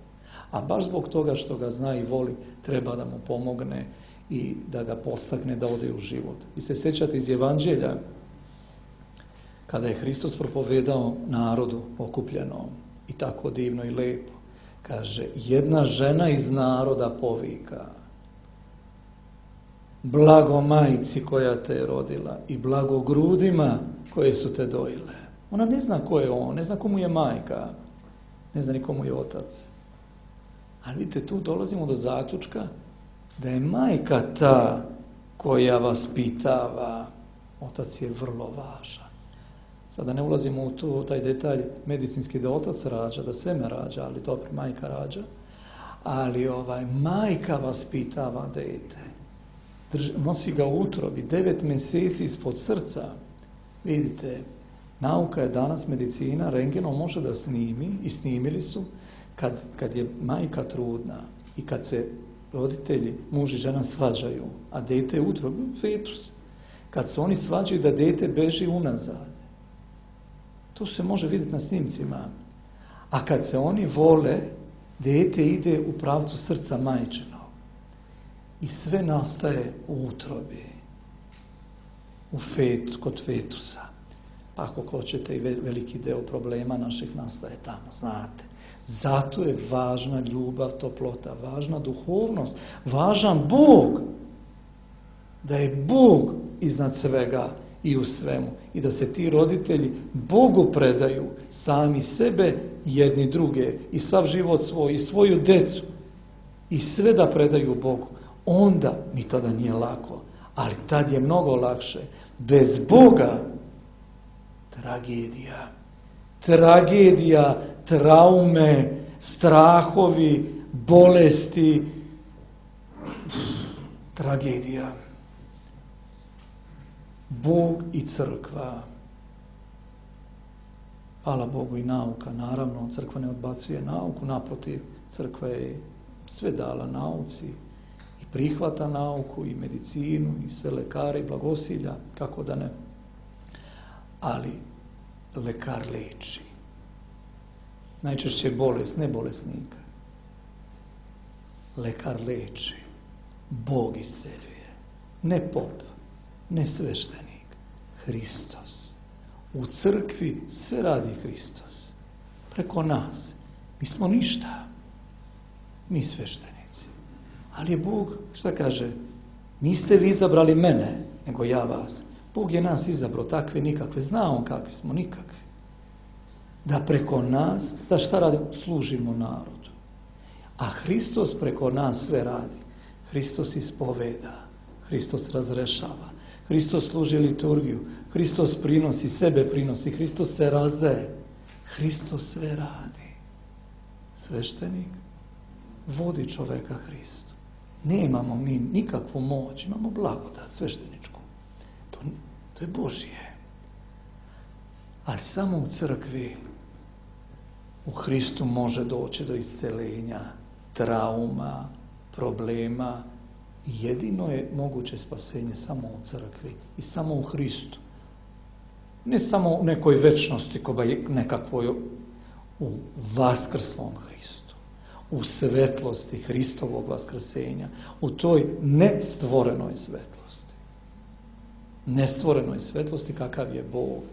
A baš zbog toga što ga zna i voli, treba da mu pomogne i da ga postakne da ode u život. I se sjećate iz Evanđelja, kada je Hristos propovedao narodu okupljenom i tako divno i lepo. Kaže, jedna žena iz naroda povika, blago majci koja te je rodila i blago grudima koje su te dojile. Ona ne zna ko je on, ne zna komu je majka, ne zna ni komu je otac. Ali vidite, tu dolazimo do zaključka da je majka ta koja vas pitava, otac je vrlo važan. Sada ne ulazimo u tu, taj detalj medicinski da otac rađa, da seme rađa, ali dobro, majka rađa. Ali ovaj, majka vas pitava dete. Drž, nosi ga u utrobi, devet mjeseci ispod srca. Vidite, nauka je danas, medicina, rentgenom može da snimi, i snimili su, kad, kad je majka trudna i kad se roditelji, muž i žena svađaju, a dete je u utrobi, fetus. Kad se oni svađaju da dete beži unazad. To se može vidjeti na snimcima. A kad se oni vole, dete ide u pravcu srca majčinog. I sve nastaje u utrobi. U fetu, kod fetusa. Pa ako hoćete i veliki deo problema naših nastaje tamo, znate. Zato je važna ljubav, toplota, važna duhovnost, važan Bog. Da je Bog iznad svega i u svemu. I da se ti roditelji Bogu predaju sami sebe, jedni druge, i sav život svoj, i svoju decu, i sve da predaju Bogu. Onda mi tada nije lako, ali tad je mnogo lakše. Bez Boga tragedija. Tragedija, traume, strahovi, bolesti, tragedija. Bog i crkva. Hvala Bogu i nauka. Naravno, crkva ne odbacuje nauku, naprotiv, crkva je sve dala nauci i prihvata nauku i medicinu i sve lekare i blagosilja, kako da ne. Ali lekar leči. Najčešće bolest, ne bolesnika. Lekar leči. Bog isceljuje. Ne pop, ne sveštenik. Hristos. U crkvi sve radi Hristos. Preko nas. Mi smo ništa. Mi sveštenici. Ali je Bog, šta kaže? Niste vi izabrali mene, nego ja vas. Bog je nas izabrao takve nikakve. Zna on kakvi smo, nikakvi. Da preko nas, da šta radimo? Služimo narodu. A Hristos preko nas sve radi. Hristos ispoveda. Hristos razrešava. Hristos služi liturgiju. Hristos prinosi, sebe prinosi. Hristos se razdaje. Hristos sve radi. Sveštenik vodi čoveka Hristu. Nemamo mi nikakvu moć, imamo blagodat svešteničku. To, to je Božje. Ali samo u crkvi, u Hristu može doći do isceljenja, trauma, problema. Jedino je moguće spasenje samo u crkvi i samo u Hristu. Ne samo u nekoj večnosti, nekakvoj u vaskrslom Hristu, u svetlosti Hristovog vaskrsenja, u toj nestvorenoj svetlosti. Nestvorenoj svetlosti kakav je Bog,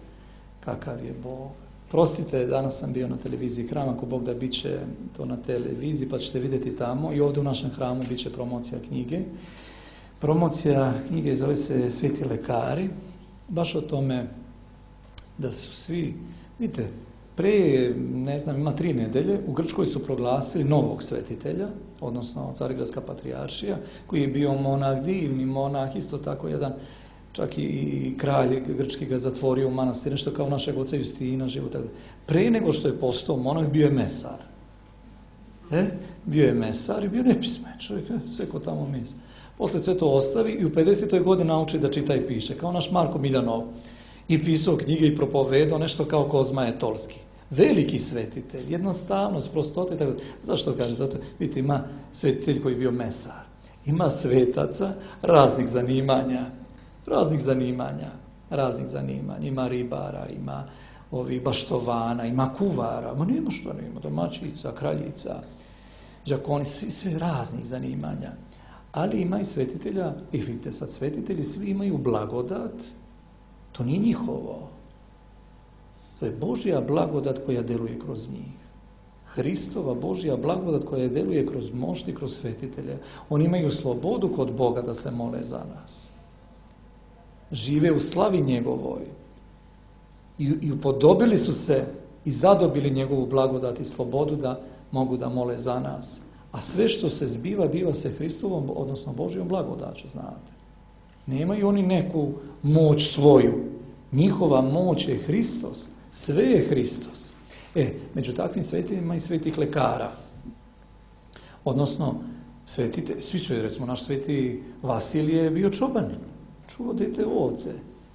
kakav je Bog. Prostite, danas sam bio na televiziji Hram, ako Bog da bit će to na televiziji, pa ćete vidjeti tamo. I ovdje u našem hramu bit će promocija knjige. Promocija knjige zove se Sveti lekari, baš o tome da su svi, vidite, pre, ne znam, ima tri nedelje, u Grčkoj su proglasili novog svetitelja, odnosno Carigradska patrijaršija, koji je bio monah, divni monah, isto tako jedan, čak i kralj grčki ga zatvorio u manastir, nešto kao našeg oca Justina, života. Pre nego što je postao monah, bio je mesar. E? Bio je mesar i bio nepismen čovjek, sve ko tamo misli. Posle sve to ostavi i u pedesetoj godini nauči da čita i piše, kao naš Marko Miljanov. I pisao knjige i propovedao nešto kao Kozma Etolski. Veliki svetitelj, jednostavnost, prostota i tako. Zašto kaže? Zato, vidite, ima svetitelj koji je bio mesar. Ima svetaca raznih zanimanja. Raznih zanimanja. Raznih zanimanja. Ima ribara, ima ovih baštovana, ima kuvara. Ma nema što nema. Domaćica, kraljica, đakoni, svi, svi raznih zanimanja. Ali ima i svetitelja, i vidite sad, svetitelji svi imaju blagodat. To nije njihovo. To je Božja blagodat koja deluje kroz njih. Hristova Božja blagodat koja deluje kroz mošti, kroz svetitelje. Oni imaju slobodu kod Boga da se mole za nas. Žive u slavi njegovoj. I, i upodobili su se i zadobili njegovu blagodat i slobodu da mogu da mole za nas. A sve što se zbiva, biva se Hristovom, odnosno Božjom blagodaću, znate. Nemaju oni neku moć svoju. Njihova moć je Hristos. Sve je Hristos. E, među takvim svetima i svetih lekara. Odnosno, svetite, svi su, recimo, naš sveti Vasilije je bio čobanin. Čuvao dete ovce.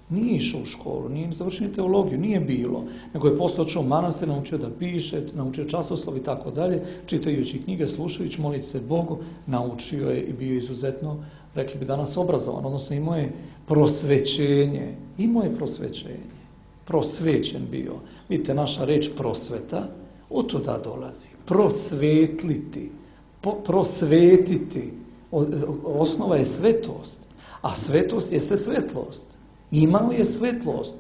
Nije išao u školu, nije završio teologiju, nije bilo. Nego je posle otišao u manastir, naučio da piše, naučio časoslov i tako dalje, čitajući knjige, slušajući, moliti se Bogu, naučio je i bio izuzetno, rekli bi danas, obrazovan, odnosno imao je prosvećenje. Imao je prosvećenje. Prosvećen bio. Vidite, naša reč prosveta, od tuda dolazi. Prosvetliti, po, prosvetiti. O, osnova je svetost. A svetost jeste svetlost. Imao je svetlost.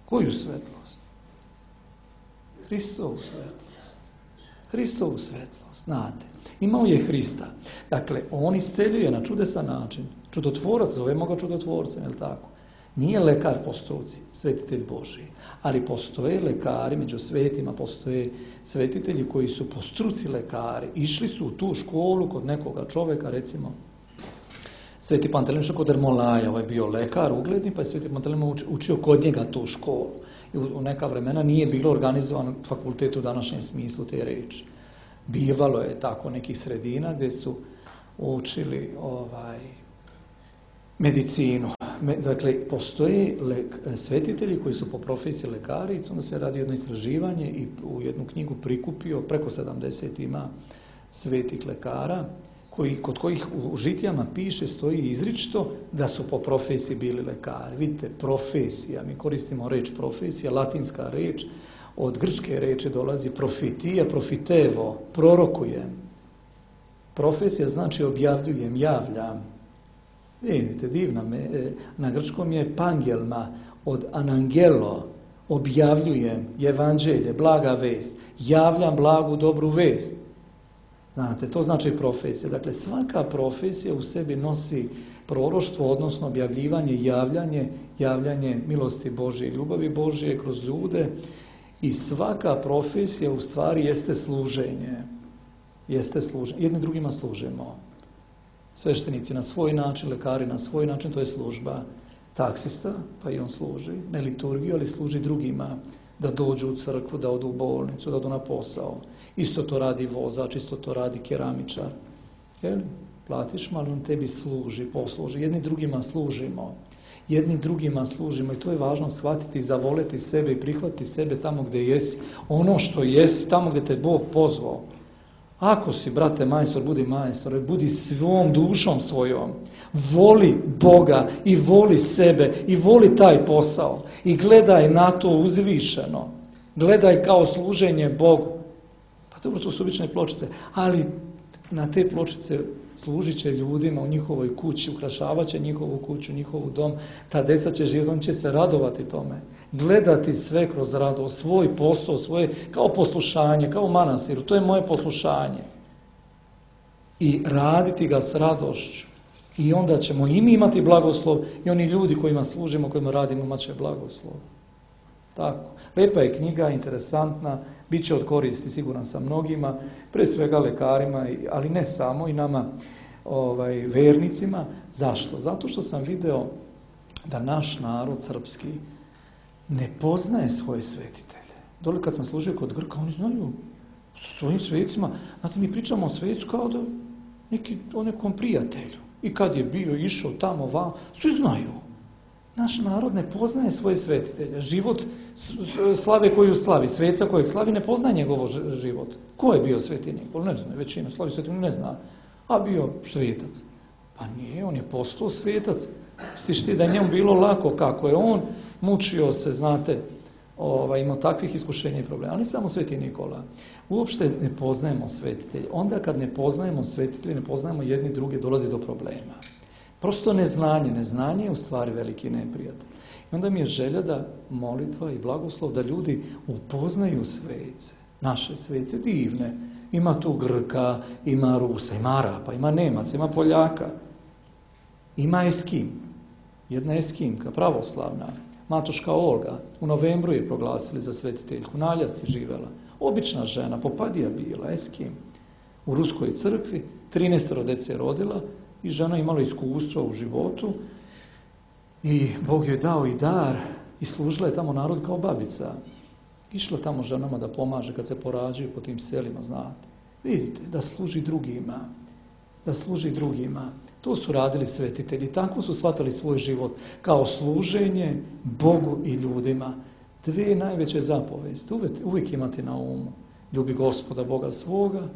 Koju svetlost? Hristovu svetlost. Hristovu svetlost, znate. Imao je Hrista. Dakle, on isceljuje na čudesan način. Čudotvorac, zovemo ga čudotvorcem, je li tako? Nije lekar po struci, svetitelj Božiji. Ali postoje lekari, među svetima postoje svetitelji koji su po struci lekari. Išli su u tu školu kod nekoga čoveka, recimo, Sveti Pantelejmon kod Ermolaja, ovaj je bio lekar ugledni, pa je Sveti Pantelejmon učio kod njega tu školu. I u neka vremena nije bilo organizovan fakultet u današnjem smislu te reči. Bivalo je tako nekih sredina gdje su učili ovaj, medicinu. Dakle, postoje lek, svetitelji koji su po profesiji lekari, onda se radi jedno istraživanje i u jednu knjigu prikupio, preko sedamdeset ima svetih lekara, koji, kod kojih u žitijama piše, stoji izričito da su po profesiji bili lekari. Vidite, profesija, mi koristimo reč profesija, latinska reč, od grčke reči dolazi profitija, profitevo, prorokujem. Profesija znači objavljujem, javljam. Vidite, divna me, na grčkom je pangelma, od anangelo, objavljujem evanđelje, blaga vest, javljam blagu dobru vest. Znate, to znači profesija. Dakle, svaka profesija u sebi nosi proroštvo, odnosno objavljivanje, javljanje, javljanje milosti Božje, ljubavi Božje kroz ljude, i svaka profesija u stvari jeste služenje. Jeste služenje. Jedni drugima služimo. Sveštenici na svoj način, lekari na svoj način, to je služba. Taksista, pa i on služi, ne liturgiju, ali služi drugima, da dođu u crkvu, da odu u bolnicu, da odu na posao. Isto to radi vozač, isto to radi keramičar. Jel? Platiš malo, on tebi služi, posluži. Jedni drugima služimo. Jedni drugima služimo i to je važno shvatiti i zavoleti sebe i prihvatiti sebe tamo gdje jesi. Ono što jesi, tamo gdje te Bog pozvao. Ako si, brate, majstor, budi majstor, budi svom dušom svojom. Voli Boga i voli sebe i voli taj posao. I gledaj na to uzvišeno. Gledaj kao služenje Bogu. Pa dobro, to su obične pločice, ali na te pločice služit će ljudima u njihovoj kući, ukrašavat će njihovu kuću, njihovu dom, ta deca će živjeti, on će se radovati tome. Gledati sve kroz radost, svoj posao, svoje, kao poslušanje, kao u manastiru, to je moje poslušanje. I raditi ga s radošću. I onda ćemo i mi imati blagoslov i oni ljudi kojima služimo, kojima radimo, imat će blagoslov. Tako. Lepa je knjiga, interesantna, bit će od koristi, siguran sam, mnogima, pre svega lekarima, ali ne samo, i nama ovaj, vernicima. Zašto? Zato što sam video da naš narod srpski ne poznaje svoje svetitelje. Dole kad sam služio kod Grka, oni znaju sa svojim svecima. Znate, mi pričamo o svecu kao da neki, o nekom prijatelju. I kad je bio, išao tamo, vam, svi znaju. Naš narod ne poznaje svoje svetitelje. Život slave koju slavi, sveca kojeg slavi, ne poznaje njegov život. Ko je bio sveti Nikola? Ne zna, većina slavi sveti ne zna. A bio svetac. Pa nije, on je postao svetac. Sviš ti da je njemu bilo lako kako je on, mučio se, znate, ovaj, imao takvih iskušenja i problema. Ali samo sveti Nikola. Uopšte ne poznajemo svetitelje. Onda kad ne poznajemo svetitelje, ne poznajemo jedni druge, dolazi do problema. Prosto neznanje. Neznanje je u stvari veliki neprijatelj. I onda mi je želja da molitva i blagoslov da ljudi upoznaju svece. Naše svece divne. Ima tu Grka, ima Rusa, ima Arapa, ima Nemaca, ima Poljaka. Ima Eskim. Jedna Eskimka, pravoslavna. Matoška Olga. U novembru je proglasili za svetiteljku. Na Aljasci živela. Obična žena, popadija bila, Eskim. U Ruskoj crkvi, trinaestoro dece rodila i žena imala iskustva u životu i Bog joj dao i dar i služila je tamo narod kao babica. Išla tamo ženama da pomaže kad se porađaju po tim selima, znate. Vidite, da služi drugima, da služi drugima. To su radili svetitelji, tako su shvatali svoj život kao služenje Bogu i ljudima. Dve najveće zapovesti, uvijek, uvijek imati na umu. Ljubi Gospoda Boga svoga,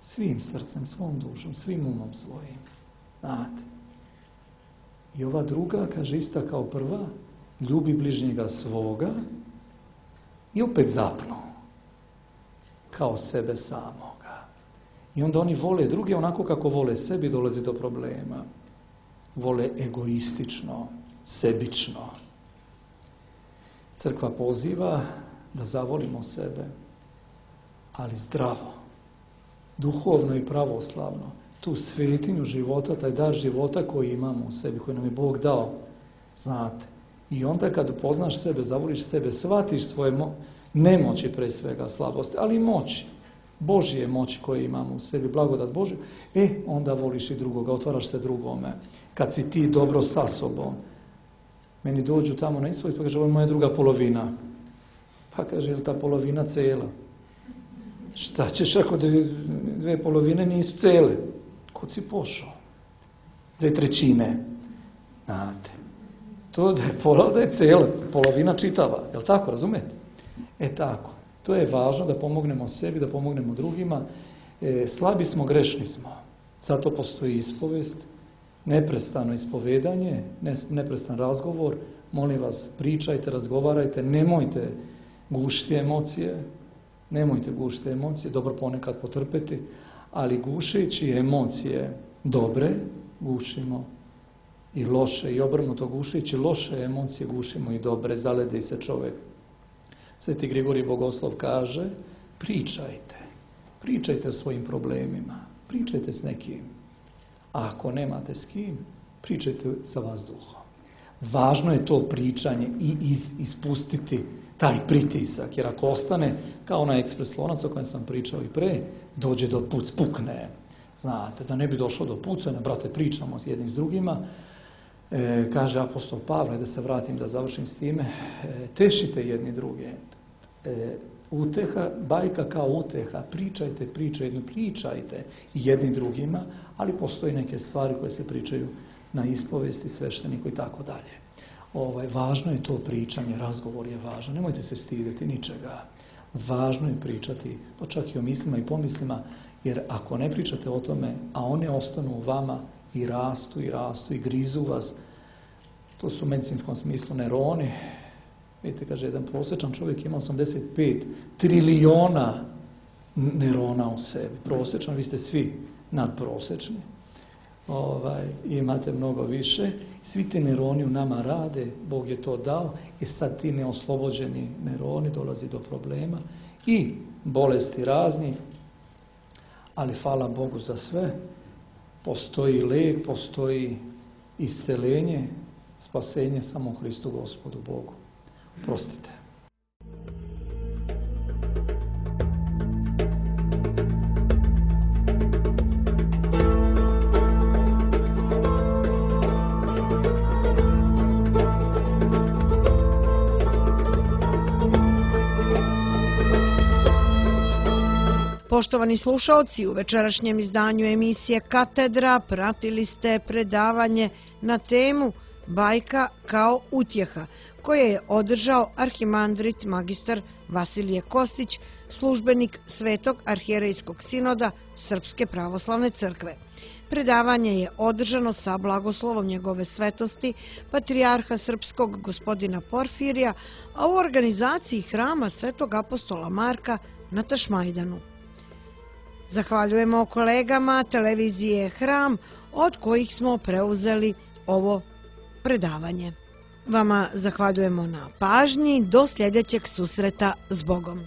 svim srcem, svom dušom, svim umom svojim. Znate. I ova druga, kaže ista kao prva, ljubi bližnjega svoga i opet zapnu. Kao sebe samoga. I onda oni vole druge onako kako vole sebi, dolazi do problema. Vole egoistično, sebično. Crkva poziva da zavolimo sebe, ali zdravo, duhovno i pravoslavno, tu svetinju života, taj dar života koji imamo u sebi, koji nam je Bog dao, znate. I onda kad upoznaš sebe, zavoliš sebe, shvatiš svoje mo- nemoći pre svega, slabosti, ali i moći, Božje moći koje imamo u sebi, blagodat Božju, e, onda voliš i drugoga, otvaraš se drugome. Kad si ti dobro sa sobom, meni dođu tamo na ispovijed, pa kaže, ovo je moja druga polovina. Pa kaže, je li ta polovina cela? Šta ćeš ako dve, dve polovine nisu cele? Kod si pošao? Dve trećine. Znate. To da je pola, da je cela, polovina čitava. Je li tako, razumete? E tako. To je važno da pomognemo sebi, da pomognemo drugima. E, slabi smo, grešni smo. Zato postoji ispovest, neprestano ispovedanje, neprestan razgovor. Molim vas, pričajte, razgovarajte, nemojte gušiti emocije, nemojte gušiti emocije, dobro ponekad potrpeti, ali gušeći emocije dobre, gušimo i loše, i obrnuto, gušeći loše emocije, gušimo i dobre, zaledi se čovjek. Sveti Grigorij Bogoslov kaže, pričajte, pričajte o svojim problemima, pričajte s nekim, a ako nemate s kim, pričajte sa vazduhom. Važno je to pričanje i iz, ispustiti taj pritisak, jer ako ostane kao onaj ekspres lonac o kojem sam pričao i pre, dođe do puc, pukne. Znate, da ne bi došlo do pucanja, brate, pričamo jedni s drugima, e, kaže apostol Pavle, da se vratim, da završim s time, e, tešite jedni druge. E, uteha, bajka kao uteha, pričajte, pričajte, pričajte jedni drugima, ali postoji neke stvari koje se pričaju na ispovesti, svešteniku i tako dalje. Ovaj, važno je to pričanje, razgovor je važan, nemojte se stidjeti ničega. Važno je pričati, pa čak i o mislima i pomislima, jer ako ne pričate o tome, a one ostanu u vama i rastu i rastu i grizu vas, to su u medicinskom smislu neuroni. Vidite, kaže, jedan prosječan čovjek ima osamdeset pet trilijona neurona u sebi. Prosječan, vi ste svi nadprosječni. Ovaj, imate mnogo više. Svi ti neuroni u nama rade, Bog je to dao i sad ti neoslobođeni neuroni dolazi do problema i bolesti raznih, ali hvala Bogu za sve. Postoji lijek, postoji isceljenje, spasenje samo Hristu Gospodu Bogu. Prostite. Poštovani slušaoci, u večerašnjem izdanju emisije Katedra pratili ste predavanje na temu Bajka kao utjeha, koje je održao arhimandrit magistar Vasilije Kostić, službenik Svetog arhijerejskog sinoda Srpske pravoslavne crkve. Predavanje je održano sa blagoslovom njegove svetosti, patrijarha srpskog gospodina Porfirija, a u organizaciji hrama Svetog apostola Marka na Tašmajdanu. Zahvaljujemo kolegama televizije Hram, od kojih smo preuzeli ovo predavanje. Vama zahvaljujemo na pažnji, do sljedećeg susreta s Bogom.